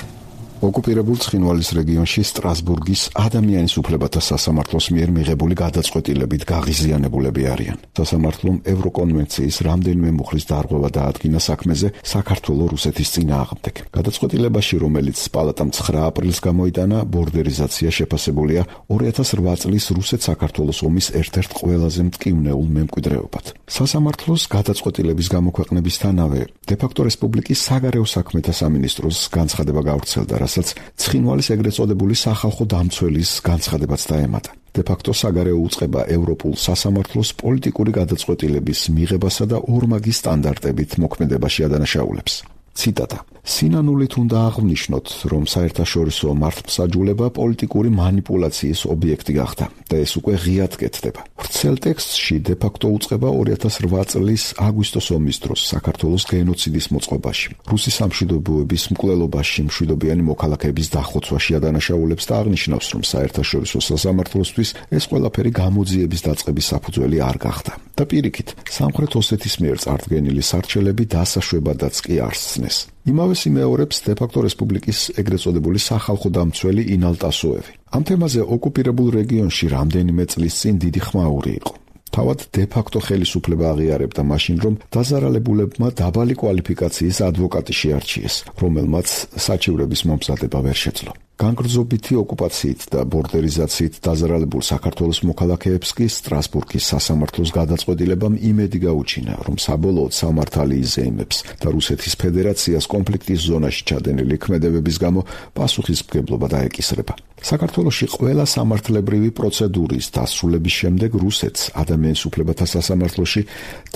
ოკუპირებულ ცხინვალის რეგიონში სტრასბურგის ადამიანის უფლებათა სასამართლოს მიერ მიღებული გადაწყვეტილებით გაღიზიანებულები არიან. სასამართლომ ევროკონვენციის რამდენიმე მუხლის დარღვევა დაადგინა საქმეზე საქართველოს რუსეთის წინააღმდეგ. გადაწყვეტილებაში, რომელიც პალატამ ცხრა აპრილს გამოიტანა, ბორდერიზაცია შეფასებულია ორი ათას რვა წლის რუსეთ-საქართველოს ომის ერთ-ერთ ყველაზე მტკივნეულ მემკვიდრეობად. სასამართლოს გადაწყვეტილების გამოქვეყნებისთანავე დე-ფაქტო რესპუბლიკის საგარეო საქმეთა სამინისტროს განცხადება გავრცელდა, რასაც ცხინვალის ეგრეთ წოდებული სახალხო დამცველის განცხადებაც დაემატა. De facto საგარეო უწყება ევროპულ სასამართლოს პოლიტიკური გადაწყვეტილების მიღებასა და ორმაგი სტანდარტებით მოქმედებაში ადანაშაულებს. Ციტატა: სინანულით უნდა აღვნიშნოთ, რომ საერთაშორისო მართლმსაჯულება პოლიტიკური манипуляციის ობიექტი გახდა და ეს უკვე ღიად კეთდება. ვრცელ ტექსტში de facto უწყება ორი ათას რვა წლის აგვისტოს ომის დროს საქართველოს გენოციდის მოწყობაში, რუსი სამშვიდობოების მკვლელობაში მშვიდობიანი მოქალაქეების დახოცვაში ადანაშაულებს და აღნიშნავს, რომ საერთაშორისო სასამართლოსთვის ეს ყველაფერი გამოძიების დაწყების საფუძველი არ გახდა და პირიქით, სამხრეთ ოსეთის მიერ წარდგენილი სარჩელები დასაშვებადაც კი არ სცნეს. იმავე სიმეორებს de facto რესპუბლიკის ეგრეთ წოდებული სახალხო დამცველი ინალ ტასოევი. ამ თემაზე ოკუპირებულ რეგიონში რამდენიმე წლის წინ დიდი ხმაური იყო. თავად de facto ხელისუფლება აღიარებდა მაშინ, რომ დაზარალებულებმა დაბალი კვალიფიკაციის ადვოკატი შეარჩიეს, რომელმაც საჩივრების მომზადება ვერ შეძლო. განგრძობითი ოკუპაციით და ბორდერიზაციით დაზარალებულ საქართველოს მოქალაქეებს კი სტრასბურგის სასამართლოს გადაწყვეტილებამ იმედი გაუჩინა, რომ საბოლოოდ სამართალი იზეიმებს და რუსეთის ფედერაციას კონფლიქტის ზონაში ჩადენილი ქმედებების გამო პასუხისმგებლობა დაეკისრება. საქართველოში ყველა სამართლებრივი პროცედურის დასრულების შემდეგ რუსეთს ადამიანის უფლებათა სასამართლოში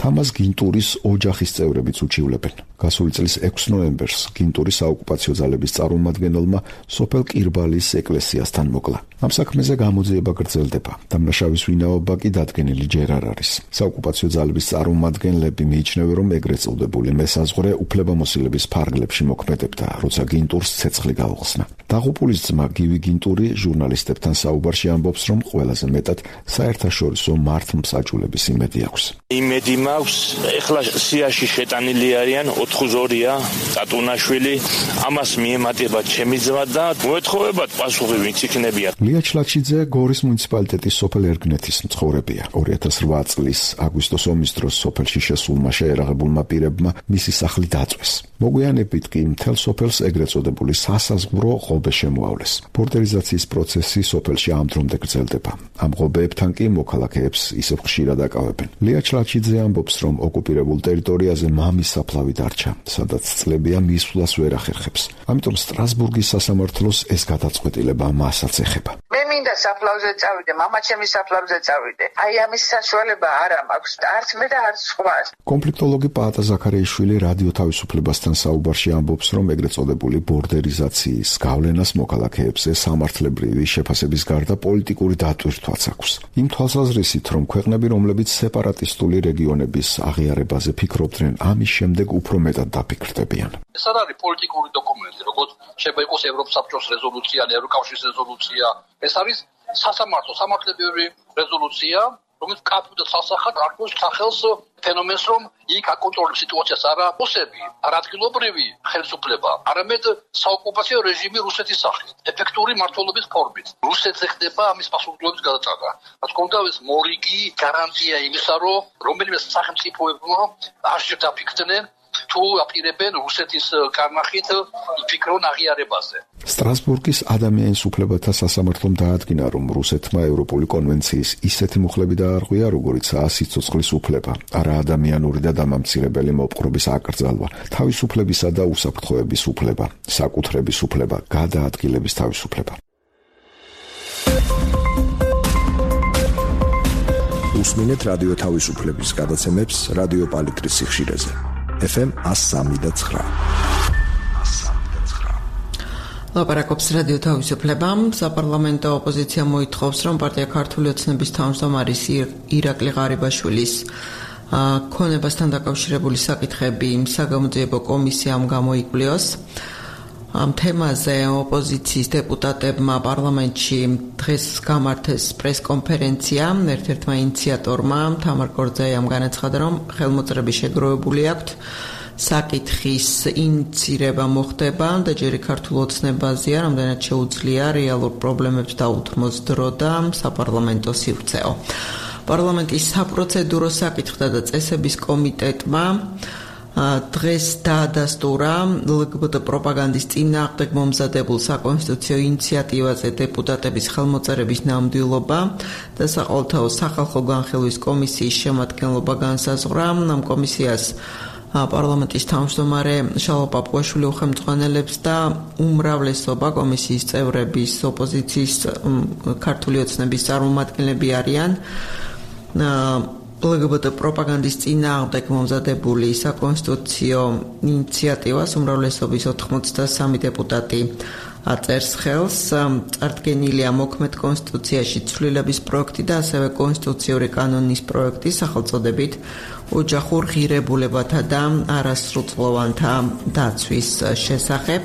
თამაზ გინტურის ოჯახის წევრებიც უჩივლებენ. გასული წლის ექვსი ნოემბერს გინტური საოკუპაციო ძალების წარმომადგენელმა სოფელ კირბალის ეკლესიასთან მოკლა. ამ საქმეზე გამოძიება გრძელდება. დამნაშავის ვინაობა კი დადგენილი ჯერ არ არის. საოკუპაციო ძალების წარმომადგენლები მიიჩნევენ, რომ ეგრეთ წოდებული მესაზღვრე უფლებამოსილების ფარგლებში მოქმედებდა, როცა გინტურს ცეცხლი გაუხსნა. დაღუპულის ძმა გივი გინტური ჟურნალისტებთან საუბარში ამბობს, რომ ყველაზე მეტად საერთაშორისო მართლმსაჯულების იმედი აქვს. იმედი მაქვს, ეხლა სიაში შეტანილი არიან ოთხი ზორია, ტატუნაშვილი, ამას მიემატება ჩემი ძმა და მოეთხოვებათ პასუხი ვინც იქნებიან. ლია ჩლაჩიძე გორის მუნიციპალიტეტის სოფელ ერგნეთის მცხოვრებია. ორი ათას რვა წლის აგვისტოს ომის დროს სოფელში შესულმა შეერაღებულმა პირებმა მისი სახლი დაწვეს. მოგვიანებით კი მთელ სოფელს ეგრეთ წოდებული სასაზღვრო ღობე შემოავლეს. ბორდერიზაციის პროცესი სოფელში ამ დრომდე გრძელდება. ამ ღობეებთან კი მოქალაქეებს ისევ ხშირად აკავებენ. ლია ჩლაჩიძე ამბობს, რომ ოკუპირებულ ტერიტორიაზე მამის საფლავი დარჩა, სადაც წლებია მისვლას ვერ ახერხებს. ამიტომ სტრასბურგის სასამართლოს ეს გადაწყვეტილება მასაც ეხება. მე მინდა საფლავზე წავიდე, მამა ჩემი საფლავზე წავიდე. აი ამის საშუალება არა მაქვს, არც მე და არც სხვა. კონფლიქტოლოგი პაატა ზაქარიაშვილი რადიო თავისუფლებასთან საუბარში ამბობს, რომ ეგრეთ წოდებული ბორდერიზაციის გავლენას მოქალაქეებზე სამართლებრივი შეფასების გარდა პოლიტიკური დატვირთვაც აქვს. იმ თვალსაზრისით, რომ ქვეყნები, რომლებიც სეპარატისტული რეგიონების აღიარებაზე ფიქრობდნენ, ამის შემდეგ უფრო მეტად დაფიქრდებიან. ეს არ არის პოლიტიკური დოკუმენტი, როგორც შეიძლება იყოს ევროპის საბჭოს რეზოლუცია, ევროკავშირის რეზოლუცია. ეს არის სასამართლო სამართლებრივი რეზოლუცია, რომელიც კაფუდა სასახად არქოს სახელს ფენომენს, რომ იქ აკონტროლებს სიტუაციას არა რუსები, არა ადგილობრივი ხელისუფლება, არამედ საოკუპაციო რეჟიმი რუსეთის სახით, ეფექტური მმართველობის ფორმით. რუსეთზე ხდება ამის პასუხისმგებლობის გადაჭრა. რაც კონდა ეს მორიგი გარანტია იმისა, რომ რომელიმე სახელმწიფოებმა არ შედაფიქრდნენ თუ აპირებენ რუსეთის კარნახით იფიქრონ აღიარებაზე. სტრასბურგის ადამიანის უფლებათა სასამართლომ დაადგინა, რომ რუსეთმა ევროპული კონვენციის ისეთი მუხლები დაარღვია, როგორიცაა სიცოცხლის უფლება, არა ადამიანური და დამამცირებელი მოპყრობის აკრძალვა, თავისუფლებისა და უსაფრთხოების უფლება, საკუთრების უფლება, გადაადგილების თავისუფლება. უსმინეთ რადიო თავისუფლების გადაცემებს რადიო პალიტრის სიხშირეზე. ეფ ემ one oh three point nine. ლაპარაკობს რადიო თავისუფლება. საპარლამენტო ოპოზიცია მოითხოვს, რომ პარტია ქართული ოცნების თავმჯდომარის ირაკლი ღარიბაშვილის ქონებასთან დაკავშირებული საკითხები საგამოძიებო კომისიამ გამოიკვლიოს. ამ თემაზე ოპოზიციის დეპუტატებმა პარლამენტში დღეს გამართეს პრესკონფერენცია. ერთ-ერთმა ინიციატორმა თამარ კორძაიამ განაცხადა, რომ ხელმოწერები შეგროვებული აქვთ, საკითხის ინიცირება მოხდება და ჯერი ქართულ ოცნებაზეა, რამდენად შეუძლია რეალურ პრობლემებს დაუთმოს დრო და საპარლამენტო სივრცეო. პარლამენტის საპროცედურო საკითხთა და წესების კომიტეტმა დღეს დაადასტურა ლგბტ პროპაგანდის წინააღმდეგ მომზადებულ საკონსტიტუციო ინიციატივაზე დეპუტატების ხელმოწერების ნამდვილობა და საყოველთაო სახალხო განხილვის კომისიის შემადგენლობა განსაზღვრა. ამ კომისიას პარლამენტის თავმჯდომარე შალვა პაპუაშვილი უხელმძღვანელებს და უმრავლესობა კომისიის წევრების ოპოზიციის ქართული ოცნების წარმომადგენლები არიან. ლგბტ პროპაგანდის წინააღმდეგ მომზადებული საკონსტიტუციო ინიციატივას უმრავლესობის ოთხმოცდასამი დეპუტატი აწერს ხელს. წარდგენილია მოქმედ კონსტიტუციაში ცვლილების პროექტი და ასევე კონსტიტუციური კანონის პროექტი სახელწოდებით ოჯახურ ღირებულებათა და არასრულწლოვანთა დაცვის შესახებ.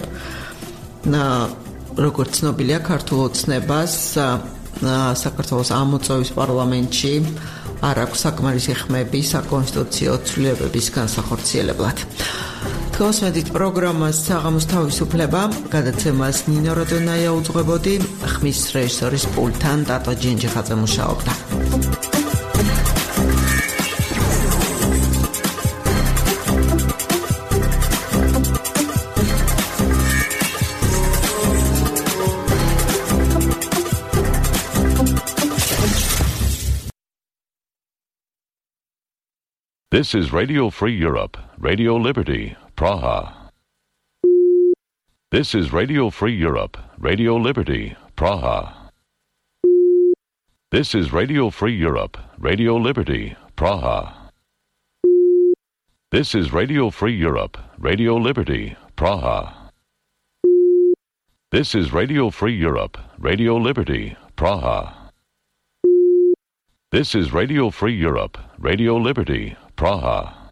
როგორც ცნობილია, ქართულ ოცნებას საქართველოს ამოწევის პარლამენტში არ აქვს საკმარისი ხმები საკონსტიტუციო ცვლილებების განსახორციელებლად. თქოსმედით პროგრამას საღამოს თავისუფლება, გადაცემას ნინო როდონაია უძღვებოდი, ხმის რეჟისორის პულტთან ტატო ჯინჯიხაძე მუშაობდა. This is Radio Free Europe, Radio Liberty, Praha. This is Radio Free Europe, Radio Liberty, Praha. This is Radio Free Europe, Radio Liberty, Praha. This is Radio Free Europe, Radio Liberty, Praha. This is Radio Free Europe, Radio Liberty, Praha. This is Radio Free Europe, Radio Liberty, Praha.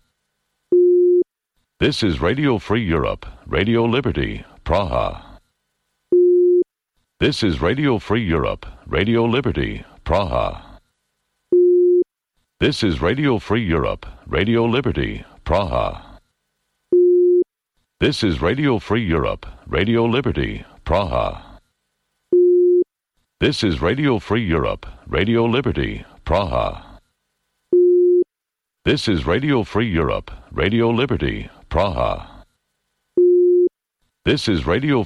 This is Radio Free Europe, Radio Liberty, Praha. This is Radio Free Europe, Radio Liberty, Praha. This is Radio Free Europe, Radio Liberty, Praha. This is Radio Free Europe, Radio Liberty, Praha. This is Radio Free Europe, Radio Liberty, Praha. This is Radio Free Europe, Radio Liberty, Praha. This is Radio Free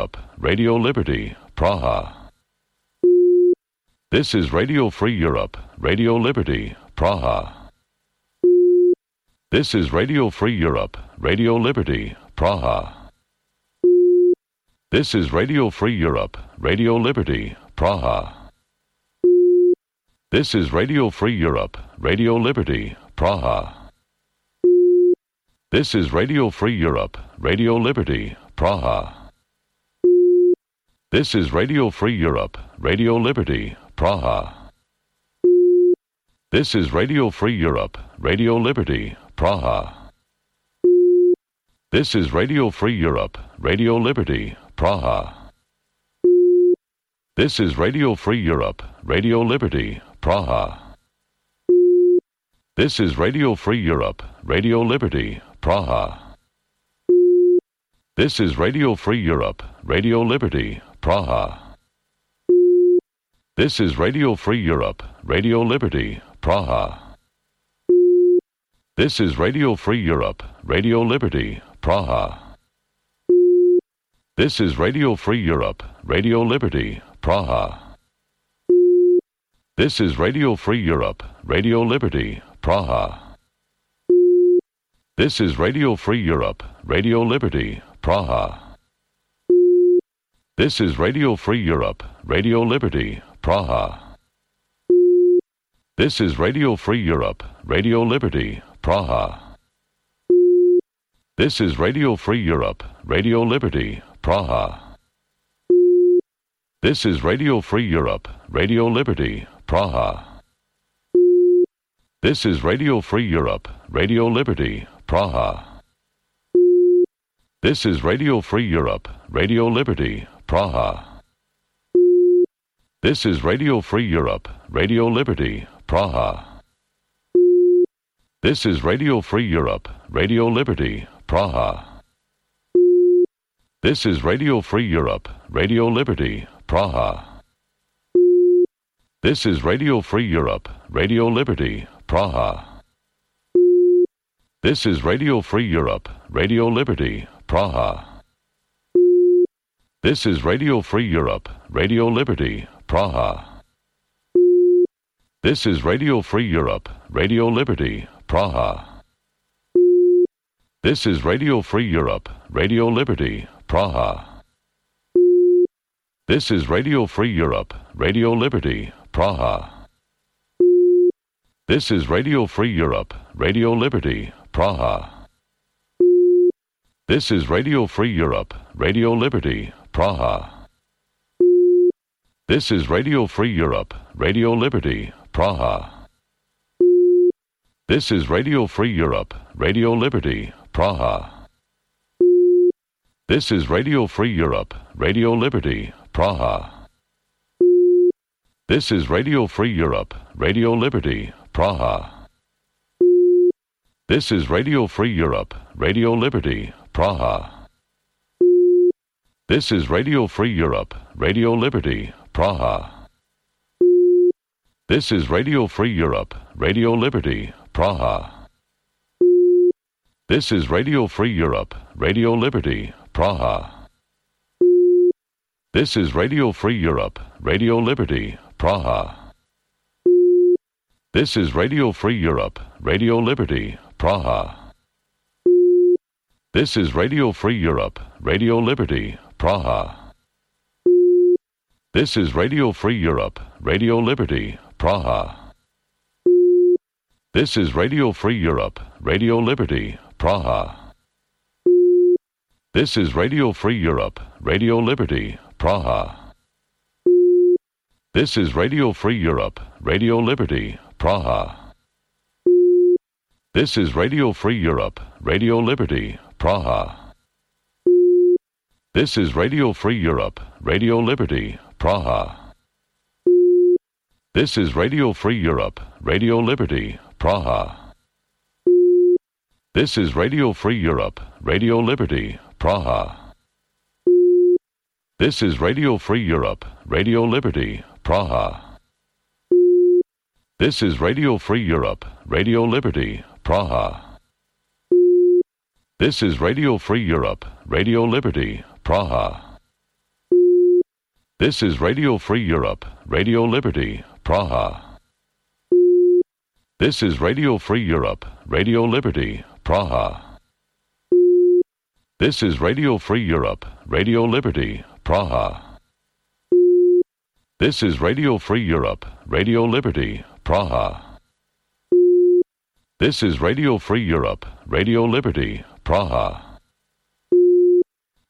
Europe, Radio Liberty, Praha. This is Radio Free Europe, Radio Liberty, Praha. This is Radio Free Europe, Radio Liberty, Praha. This is Radio Free Europe, Radio Liberty, Praha. This is Radio Free Europe, Radio Liberty, Praha. This is Radio Free Europe, Radio Liberty, Praha. This is Radio Free Europe, Radio Liberty, Praha. This is Radio Free Europe, Radio Liberty, Praha. This is Radio Free Europe, Radio Liberty, Praha. This is Radio Free Europe, Radio Liberty, Praha. This is Radio Free Europe, Radio Liberty, Praha. This is Radio Free Europe, Radio Liberty, Praha. This is Radio Free Europe, Radio Liberty, Praha. This is Radio Free Europe, Radio Liberty, Praha. This is Radio Free Europe, Radio Liberty, Praha. This is Radio Free Europe, Radio Liberty, Praha. This is Radio Free Europe, Radio Liberty, Praha. This is Radio Free Europe, Radio Liberty, Praha. This is Radio Free Europe, Radio Liberty, Praha. This is Radio Free Europe, Radio Liberty, Praha. This is Radio Free Europe, Radio Liberty, Praha. This is Radio Free Europe, Radio Liberty, Praha. This is Radio Free Europe, Radio Liberty, Praha. This is Radio Free Europe, Radio Liberty, Praha. This is Radio Free Europe, Radio Liberty, Praha. This is Radio Free Europe, Radio Liberty, Praha. This is Radio Free Europe, Radio Liberty, Praha. This is Radio Free Europe, Radio Liberty, Praha. This is Radio Free Europe, Radio Liberty, Praha. This is Radio Free Europe, Radio Liberty, Praha. This is Radio Free Europe, Radio Liberty, Praha. This is Radio Free Europe, Radio Liberty, Praha. This is Radio Free Europe, Radio Liberty, Praha. This is Radio Free Europe, Radio Liberty, Praha. This is Radio Free Europe, Radio Liberty, Praha. This is Radio Free Europe, Radio Liberty, Praha. This is Radio Free Europe, Radio Liberty, Praha. This is Radio Free Europe, Radio Liberty, Praha. This is Radio Free Europe, Radio Liberty, Praha. This is Radio Free Europe, Radio Liberty, Praha. This is Radio Free Europe, Radio Liberty, Praha. This is Radio Free Europe, Radio Liberty, Praha. This is Radio Free Europe, Radio Liberty, Praha. This is Radio Free Europe, Radio Liberty, Praha. This is Radio Free Europe, Radio Liberty, Praha. This is Radio Free Europe, Radio Liberty, Praha. This is Radio Free Europe, Radio Liberty, Praha. This is Radio Free Europe, Radio Liberty, Praha. This is Radio Free Europe, Radio Liberty, Praha. This is Radio Free Europe, Radio Liberty, Praha. This is Radio Free Europe, Radio Liberty, Praha. This is Radio Free Europe, Radio Liberty, Praha. This is Radio Free Europe, Radio Liberty, Praha. This is Radio Free Europe, Radio Liberty, Praha. This is Radio Free Europe, Radio Liberty, Praha. This is Radio Free Europe, Radio Liberty, Praha. This is Radio Free Europe, Radio Liberty, Praha. This is Radio Free Europe, Radio Liberty, Praha. This is Radio Free Europe, Radio Liberty, Praha. This is Radio Free Europe, Radio Liberty, Praha. This is Radio Free Europe, Radio Liberty, Praha. This is Radio Free Europe, Radio Liberty, Praha.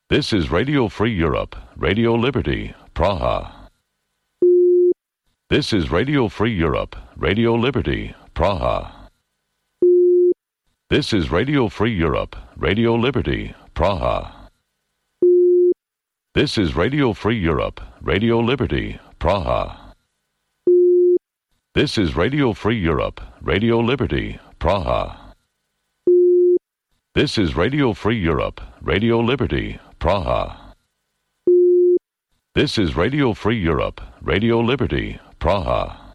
This is Radio Free Europe, Radio Liberty, Praha. This is Radio Free Europe, Radio Liberty, Praha. This is Radio Free Europe, Radio Liberty, Praha. This is Radio Free Europe, Radio Liberty, Praha. This is Radio Free Europe, Radio Liberty, Praha. This is Radio Free Europe, Radio Liberty, Praha. This is Radio Free Europe, Radio Liberty, Praha.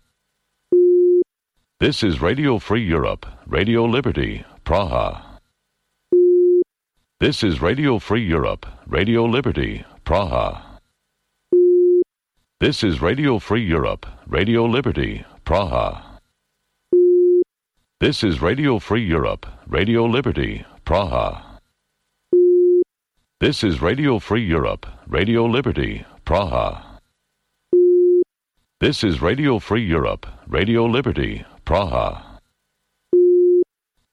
This is Radio Free Europe, Radio Liberty, Praha. This is Radio Free Europe, Radio Liberty, Praha. This is Radio Free Europe, Radio Liberty, Praha. This is Radio Free Europe, Radio Liberty, Praha. This is Radio Free Europe, Radio Liberty, Praha. This is Radio Free Europe, Radio Liberty, Praha.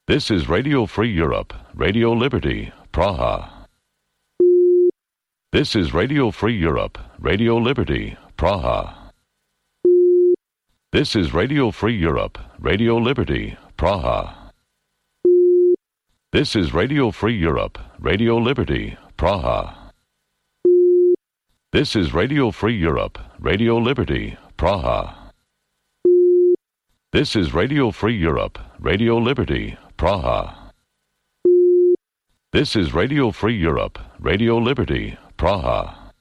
This is Radio Free Europe, Radio Liberty, Praha. This is Radio Free Europe, Radio Liberty, Praha. This is Radio Free Europe, Radio Liberty, Praha. This is Radio Free Europe, Radio Liberty, Praha. This is Radio Free Europe, Radio Liberty, Praha. This is Radio Free Europe, Radio Liberty, Praha. This is Radio Free Europe, Radio Liberty, Praha.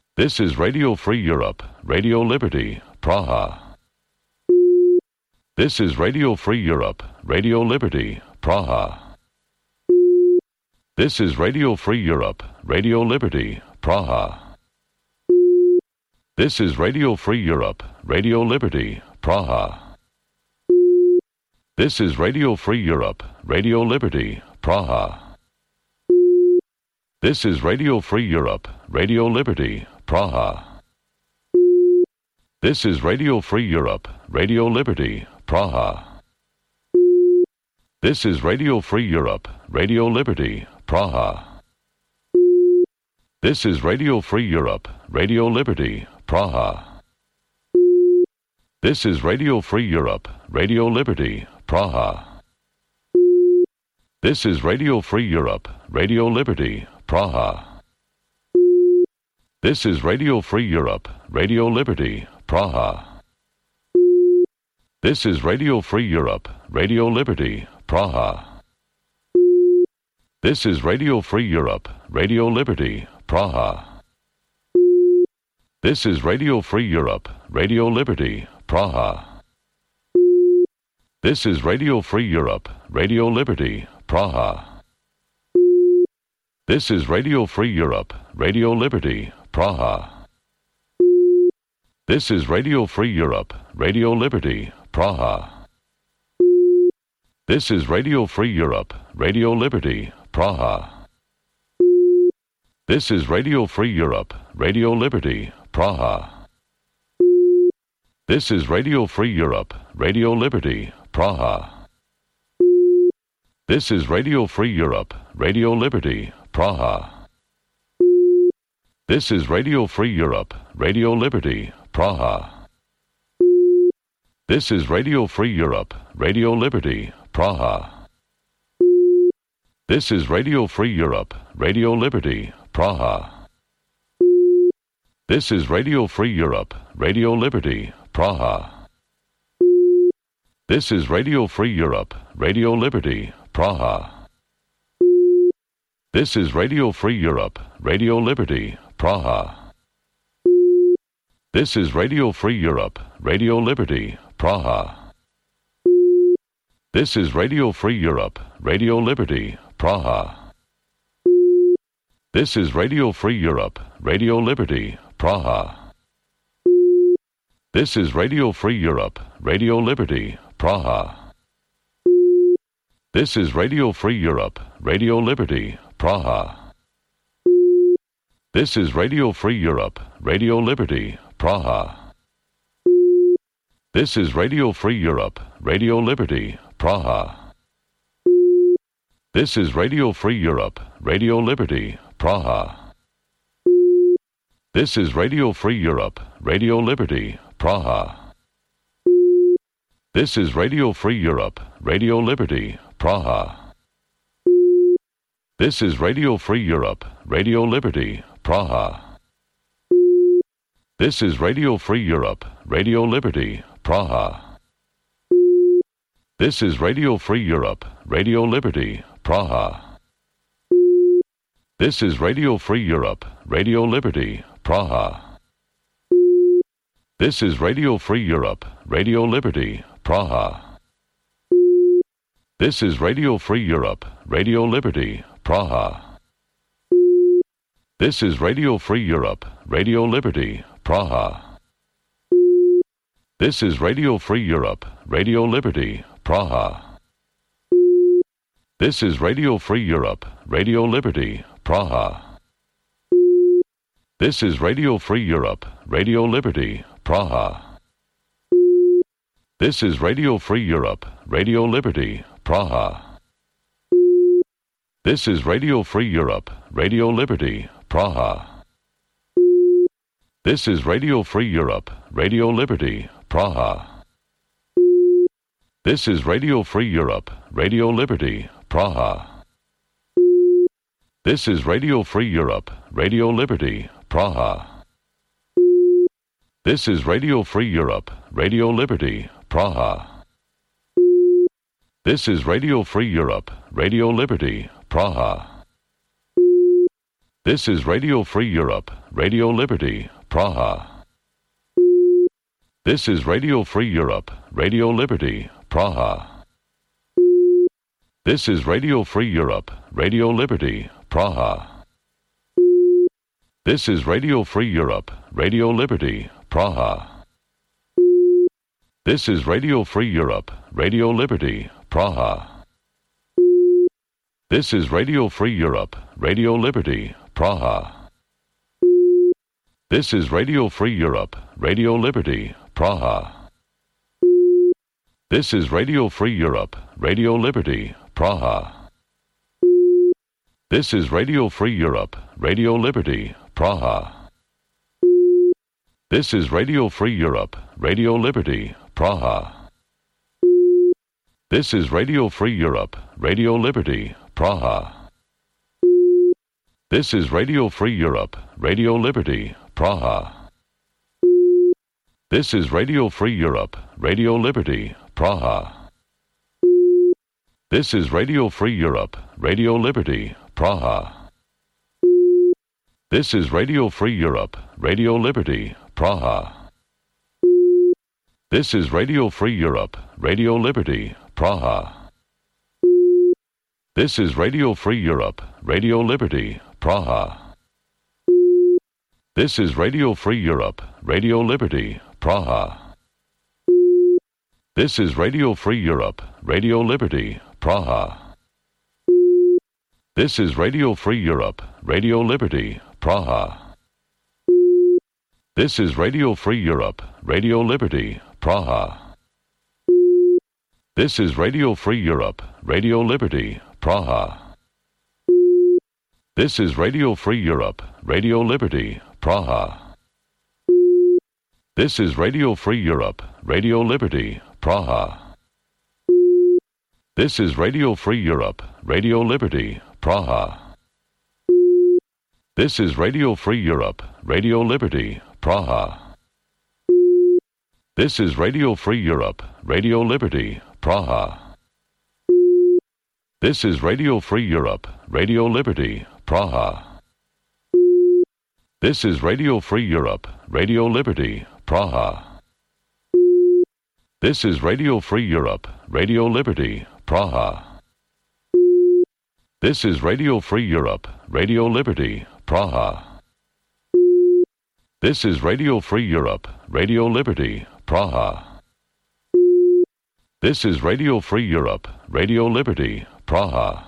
This is Radio Free Europe, Radio Liberty, Praha. This is Radio Free Europe, Radio Liberty, Praha. This is Radio Free Europe, Radio Liberty, Praha. This is Radio Free Europe, Radio Liberty, Praha. This is Radio Free Europe, Radio Liberty, Praha. This is Radio Free Europe, Radio Liberty, Praha. This is Radio Free Europe, Radio Liberty, Praha. This is Radio Free Europe, Radio Liberty, Praha. This is Radio Free Europe, Radio Liberty, Praha. This is Radio Free Europe, Radio Liberty, Praha. This is Radio Free Europe, Radio Liberty, Praha. This is Radio Free Europe, Radio Liberty, Praha. This is Radio Free Europe, Radio Liberty, Praha. This is Radio Free Europe, Radio Liberty, Praha. This is Radio Free Europe, Radio Liberty, Praha. This is Radio Free Europe, Radio Liberty, Praha. This is Radio Free Europe, Radio Liberty, Praha. This is Radio Free Europe, Radio Liberty, Praha. This is Radio Free Europe, Radio Liberty, Praha. This is Radio Free Europe, Radio Liberty, Praha. This is Radio Free Europe, Radio Liberty, Praha. This is Radio Free Europe, Radio Liberty, Praha. This is Radio Free Europe, Radio Liberty, Praha. This is Radio Free Europe, Radio Liberty, Praha. This is Radio Free Europe, Radio Liberty, Praha. This is Radio Free Europe, Radio Liberty, Praha. This is Radio Free Europe, Radio Liberty, Praha. This is Radio Free Europe, Radio Liberty, Praha. This is Radio Free Europe, Radio Liberty, Praha. This is Radio Free Europe, Radio Liberty, Praha. This is Radio Free Europe, Radio Liberty, Praha. This is Radio Free Europe, Radio Liberty, Praha. This is Radio Free Europe, Radio Liberty, Praha. This is Radio Free Europe, Radio Liberty, Praha. This is Radio Free Europe, Radio Liberty, Praha. This is Radio Free Europe, Radio Liberty, Praha. This is Radio Free Europe, Radio Liberty, Praha. This is Radio Free Europe, Radio Liberty, Praha. This is Radio Free Europe, Radio Liberty, Praha. This is Radio Free Europe, Radio Liberty, Praha. This is Radio Free Europe, Radio Liberty, Praha. This is Radio Free Europe, Radio Liberty, Praha. This is Radio Free Europe, Radio Liberty, Praha. This is Radio Free Europe, Radio Liberty, Praha. This is Radio Free Europe, Radio Liberty, Praha. This is Radio Free Europe, Radio Liberty, Praha. This is Radio Free Europe, Radio Liberty, Praha. This is Radio Free Europe, Radio Liberty, Praha. This is Radio Free Europe, Radio Liberty, Praha. This is Radio Free Europe, Radio Liberty, Praha. This is Radio Free Europe, Radio Liberty, Praha. This is Radio Free Europe, Radio Liberty, Praha. This is Radio Free Europe, Radio Liberty, Praha. This is Radio Free Europe, Radio Liberty, Praha. This is Radio Free Europe, Radio Liberty, Praha. This is Radio Free Europe, Radio Liberty, Praha. This is Radio Free Europe, Radio Liberty, Praha. This is Radio Free Europe, Radio Liberty, Praha. This is Radio Free Europe, Radio Liberty, Praha. This is Radio Free Europe, Radio Liberty, Praha. This is Radio Free Europe, Radio Liberty, Praha. This is Radio Free Europe, Radio Liberty, Praha. This is Radio Free Europe, Radio Liberty, Praha. This is Radio Free Europe, Radio Liberty, Praha. This is Radio Free Europe, Radio Liberty, Praha. This is Radio Free Europe, Radio Liberty, Praha. This is Radio Free Europe, Radio Liberty, Praha. This is Radio Free Europe, Radio Liberty, Praha. This is Radio Free Europe, Radio Liberty, Praha. This is Radio Free Europe, Radio Liberty, Praha. This is Radio Free Europe, Radio Liberty, Praha. This is Radio Free Europe, Radio Liberty, Praha. This is Radio Free Europe, Radio Liberty, Praha. This is Radio Free Europe, Radio Liberty, Praha. This is Radio Free Europe, Radio Liberty, Praha. This is Radio Free Europe, Radio Liberty, Praha. This is Radio Free Europe, Radio Liberty, Praha. This is Radio Free Europe, Radio Liberty, Praha. This is Radio Free Europe, Radio Liberty, Praha. This is Radio Free Europe, Radio Liberty, Praha. This is Radio Free Europe, Radio Liberty, Praha. This is Radio Free Europe, Radio Liberty, Praha. This is Radio Free Europe, Radio Liberty, Praha. This is Radio Free Europe, Radio Liberty, Praha. This is Radio Free Europe, Radio Liberty, Praha. This is Radio Free Europe, Radio Liberty, Praha. This is Radio Free Europe, Radio Liberty, Praha. This is Radio Free Europe, Radio Liberty, Praha.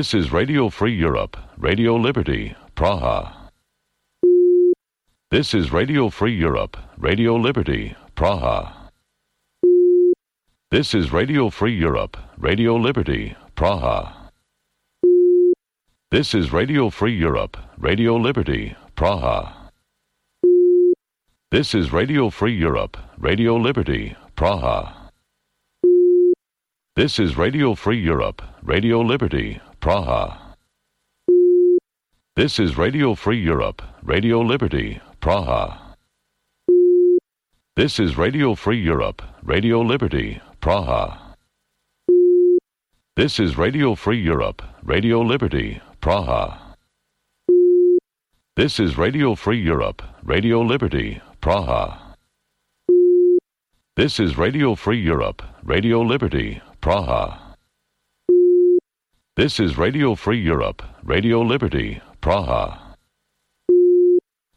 This is Radio Free Europe, Radio Liberty, Praha. This is Radio Free Europe, Radio Liberty, Praha. This is Radio Free Europe, Radio Liberty, Praha. This is Radio Free Europe, Radio Liberty, Praha. This is Radio Free Europe, Radio Liberty, Praha. This is Radio Free Europe, Radio Liberty, Praha. This is Radio Free Europe, Radio Liberty, Praha. This is Radio Free Europe, Radio Liberty, Praha. This is Radio Free Europe, Radio Liberty, Praha. This is Radio Free Europe, Radio Liberty, Praha. This is Radio Free Europe, Radio Liberty, Praha. This is Radio Free Europe, Radio Liberty, Praha.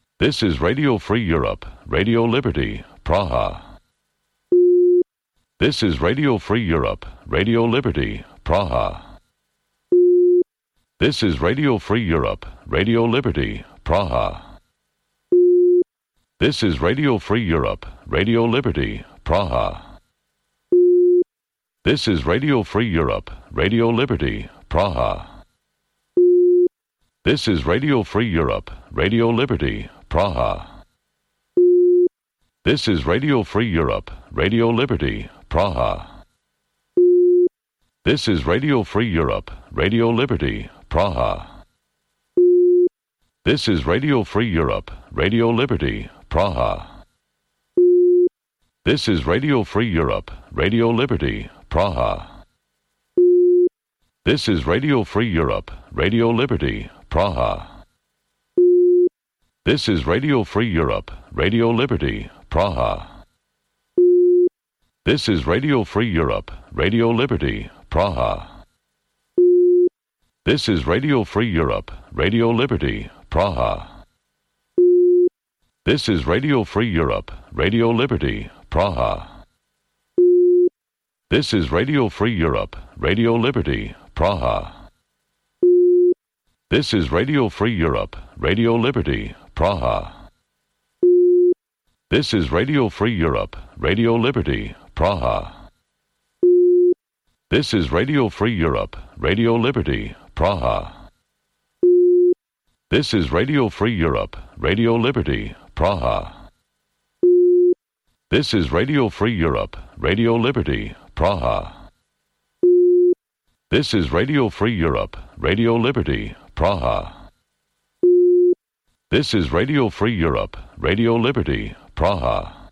This is Radio Free Europe, Radio Liberty, Praha. This is Radio Free Europe, Radio Liberty, Praha. This is Radio Free Europe, Radio Liberty, Praha. This is Radio Free Europe, Radio Liberty, Praha. This is Radio Free Europe, Radio Liberty, Praha. This is Radio Free Europe, Radio Liberty, Praha. This is Radio Free Europe, Radio Liberty, Praha. This is Radio Free Europe, Radio Liberty, Praha. This is Radio Free Europe, Radio Liberty, Praha. This is Radio Free Europe, Radio Liberty, Praha. This is Radio Free Europe, Radio Liberty, Praha. This is Radio Free Europe, Radio Liberty, Praha. This is Radio Free Europe, Radio Liberty, Praha. This is Radio Free Europe, Radio Liberty, Praha. This is Radio Free Europe, Radio Liberty, Praha. This is Radio Free Europe, Radio Liberty, Praha. This is Radio Free Europe, Radio Liberty, Praha. This is Radio Free Europe, Radio Liberty, Praha. This is Radio Free Europe, Radio Liberty, Praha. This is Radio Free Europe, Radio Liberty, Praha. This is Radio Free Europe, Radio Liberty, Praha. This is Radio Free Europe, Radio Liberty, Praha. This is Radio Free Europe, Radio Liberty, Praha.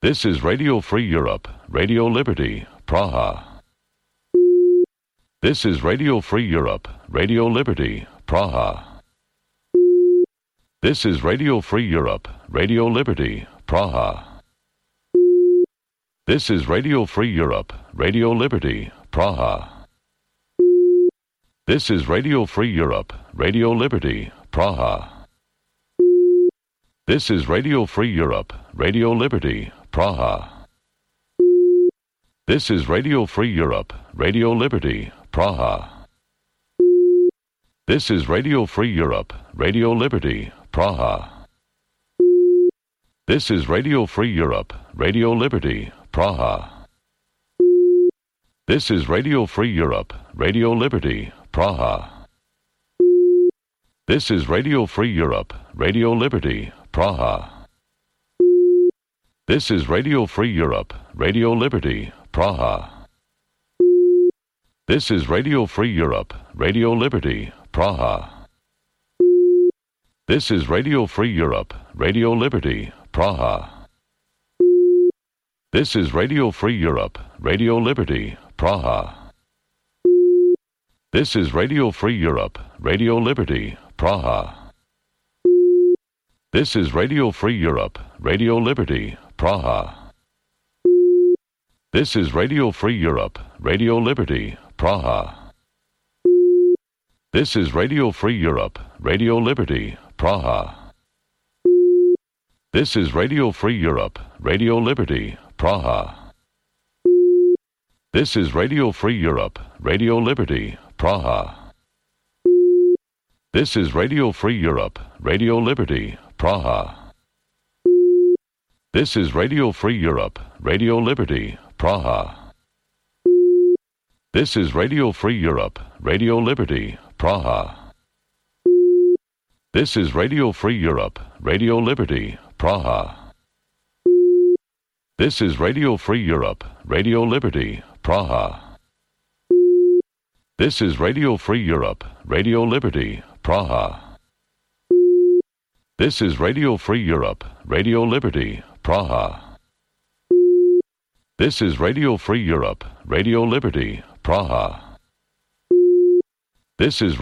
This is Radio Free Europe, Radio Liberty, Praha. This is Radio Free Europe, Radio Liberty, Praha. This is Radio Free Europe, Radio Liberty, Praha. This is Radio Free Europe, Radio Liberty, Praha. This is Radio Free Europe, Radio Liberty, Praha. This is Radio Free Europe, Radio Liberty, Praha. This is Radio Free Europe, Radio Liberty, Praha. This is Radio Free Europe, Radio Liberty, Praha. This is Radio Free Europe, Radio Liberty, Praha. This is Radio Free Europe, Radio Liberty, Praha. This is Radio Free Europe, Radio Liberty, Praha. This is Radio Free Europe, Radio Liberty, Praha. This is Radio Free Europe, Radio Liberty, Praha. This is Radio Free Europe, Radio Liberty, Praha. This is Radio Free Europe, Radio Liberty, Praha. This is Radio Free Europe, Radio Liberty, Praha. This is Radio Free Europe, Radio Liberty, Praha. This is Radio Free Europe, Radio Liberty, Praha. This is Radio Free Europe, Radio Liberty, Praha. This is Radio Free Europe, Radio Liberty, Praha. This is Radio Free Europe, Radio Liberty, Praha. This is Radio Free Europe, Radio Liberty, Praha. This is Radio Free Europe, Radio Liberty, Praha. This is Radio Free Europe, Radio Liberty, Praha. This is Radio Free Europe, Radio Liberty, Praha. This is Radio Free Europe, Radio Liberty, Praha. This is Radio Free Europe, Radio Liberty, Praha. This is Radio Free Europe, Radio Liberty, Praha. This is Radio Free Europe, Radio Liberty, Praha. This is Radio Free Europe, Radio Liberty, Praha. This is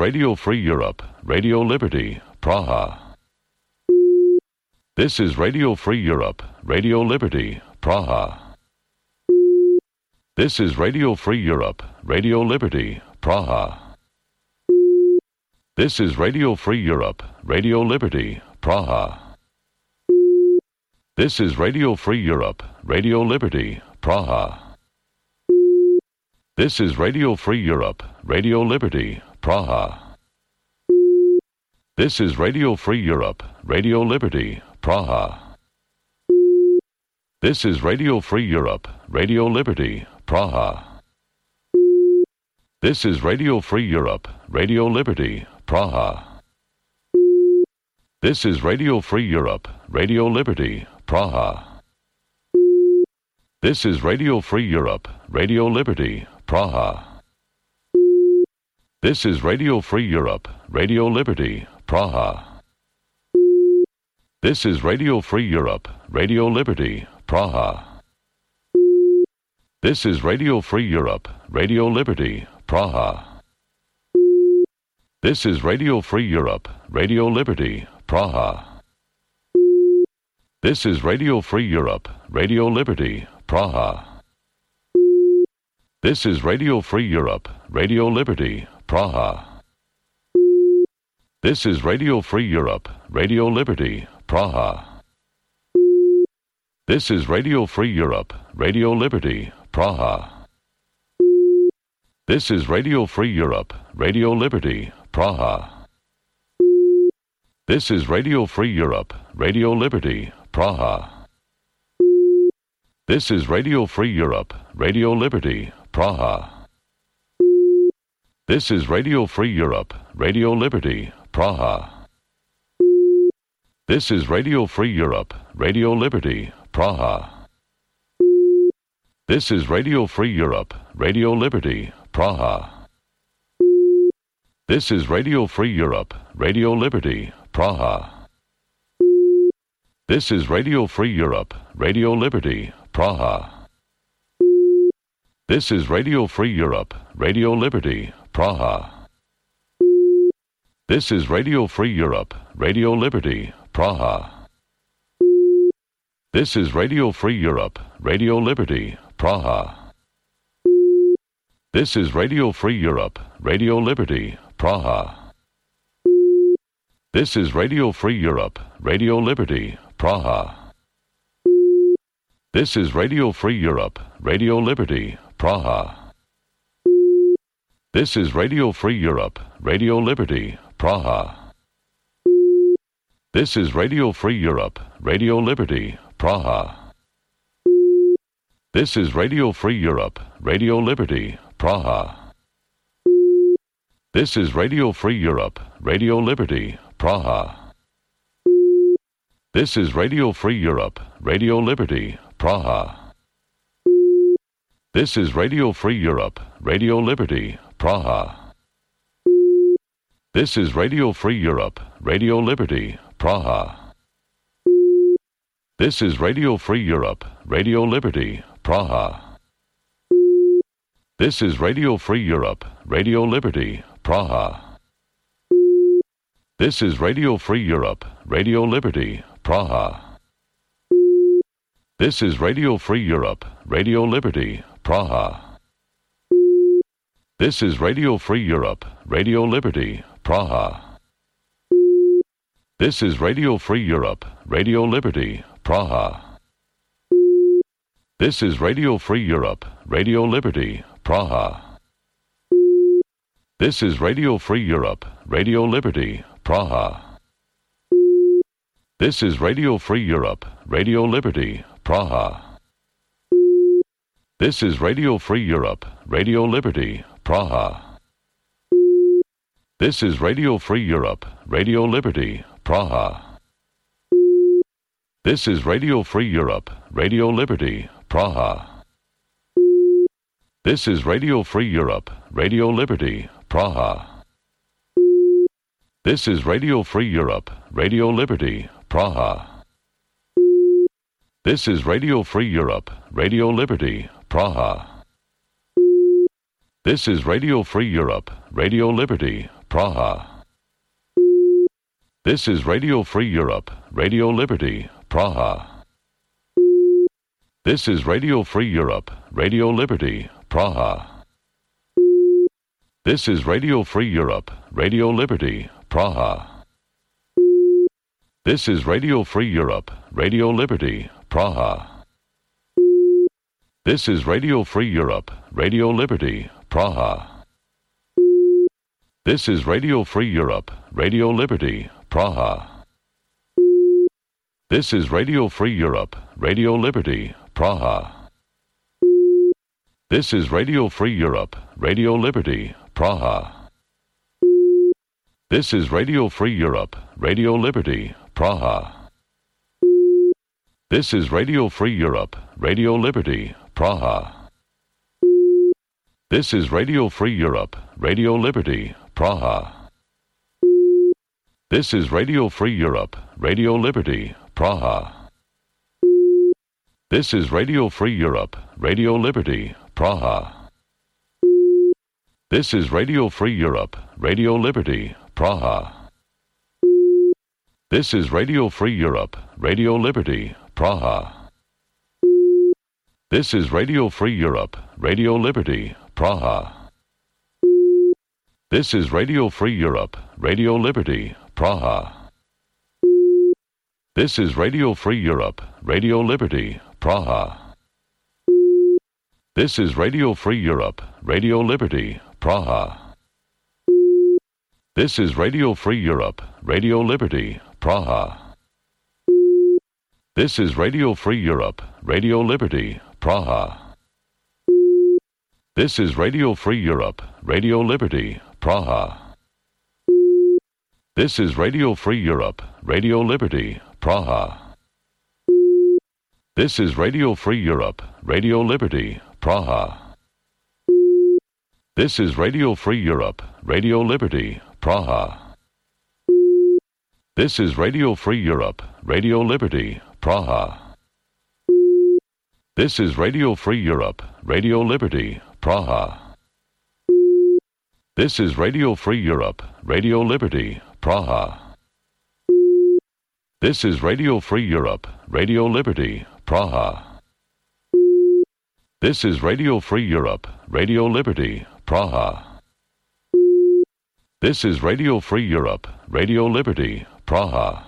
Radio Free Europe, Radio Liberty, Praha. This is Radio Free Europe, Radio Liberty, Praha. This is Radio Free Europe, Radio Liberty, Praha. This is Radio Free Europe, Radio Liberty, Praha. This is Radio Free Europe, Radio Liberty, Praha. This is Radio Free Europe, Radio Liberty, Praha. This is Radio Free Europe, Radio Liberty, Praha. This is Radio Free Europe, Radio Liberty, Praha. This is Radio Free Europe, Radio Liberty, Praha. This is Radio Free Europe, Radio Liberty, Praha. This is Radio Free Europe, Radio Liberty, Praha. This is Radio Free Europe, Radio Liberty, Praha. This is Radio Free Europe, Radio Liberty, Praha. This is Radio Free Europe, Radio Liberty, Praha. This is Radio Free Europe, Radio Liberty, Praha. This is Radio Free Europe, Radio Liberty, Praha. This is Radio Free Europe, Radio Liberty, Praha. This is Radio Free Europe, Radio Liberty, Praha. This is Radio Free Europe, Radio Liberty, Praha. This is Radio Free Europe, Radio Liberty, Praha. This is Radio Free Europe, Radio Liberty, Praha. This is Radio Free Europe, Radio Liberty, Praha. This is Radio Free Europe, Radio Liberty, Praha. This is Radio Free Europe, Radio Liberty, Praha. This is Radio Free Europe, Radio Liberty, Praha. This is Radio Free Europe, Radio Liberty, Praha. This is Radio Free Europe, Radio Liberty, Praha. This is Radio Free Europe, Radio Liberty, Praha. This is Radio Free Europe, Radio Liberty, Praha. This is Radio Free Europe, Radio Liberty, Praha. This is Radio Free Europe, Radio Liberty, Praha. This is Radio Free Europe, Radio Liberty, Praha. This is Radio Free Europe, Radio Liberty, Praha. This is Radio Free Europe, Radio Liberty, Praha. This is Radio Free Europe, Radio Liberty, Praha. This is Radio Free Europe, Radio Liberty, Praha. This is Radio Free Europe, Radio Liberty, Praha. This is Radio Free Europe, Radio Liberty, Praha. This is Radio Free Europe, Radio Liberty, Praha. This is Radio Free Europe, Radio Liberty, Praha. This is Radio Free Europe, Radio Liberty, Praha. This is Radio Free Europe, Radio Liberty, Praha. This is Radio Free Europe, Radio Liberty, Praha. This is Radio Free Europe, Radio Liberty, Praha. This is Radio Free Europe, Radio Liberty, Praha. This is Radio Free Europe, Radio Liberty, Praha. This is Radio Free Europe, Radio Liberty, Praha. This is Radio Free Europe, Radio Liberty, Praha. This is Radio Free Europe, Radio Liberty, Praha. This is Radio Free Europe, Radio Liberty, Praha. This is Radio Free Europe, Radio Liberty, Praha. This is Radio Free Europe, Radio Liberty, Praha. This is Radio Free Europe, Radio Liberty, Praha. This is Radio Free Europe, Radio Liberty, Praha. This is Radio Free Europe, Radio Liberty, Praha. This is Radio Free Europe, Radio Liberty, Praha. This is Radio Free Europe, Radio Liberty, Praha. This is Radio Free Europe, Radio Liberty, Praha. This is Radio Free Europe, Radio Liberty, Praha. This is Radio Free Europe, Radio Liberty, Praha. This is Radio Free Europe, Radio Liberty, Praha. This is Radio Free Europe, Radio Liberty, Praha. This is Radio Free Europe, Radio Liberty, Praha. This is Radio Free Europe, Radio Liberty, Praha. This is Radio Free Europe, Radio Liberty, Praha. This is Radio Free Europe, Radio Liberty, Praha. This is Radio Free Europe, Radio Liberty, Praha. This is Radio Free Europe, Radio Liberty, Praha. This is Radio Free Europe, Radio Liberty, Praha. This is Radio Free Europe, Radio Liberty, Praha. This is Radio Free Europe, Radio Liberty, Praha. This is Radio Free Europe, Radio Liberty, Praha. This is Radio Free Europe, Radio Liberty, Praha. This is Radio Free Europe, Radio Liberty, Praha. This is Radio Free Europe, Radio Liberty, Praha. This is Radio Free Europe, Radio Liberty, Praha. This is Radio Free Europe, Radio Liberty, Praha. This is Radio Free Europe, Radio Liberty, Praha. This is Radio Free Europe, Radio Liberty, Praha. This is Radio Free Europe, Radio Liberty, Praha. This is Radio Free Europe, Radio Liberty, Praha. This is Radio Free Europe, Radio Liberty, Praha. This is Radio Free Europe, Radio Liberty, Praha. This is Radio Free Europe, Radio Liberty, Praha. This is Radio Free Europe, Radio Liberty, Praha. This is Radio Free Europe, Radio Liberty, Praha.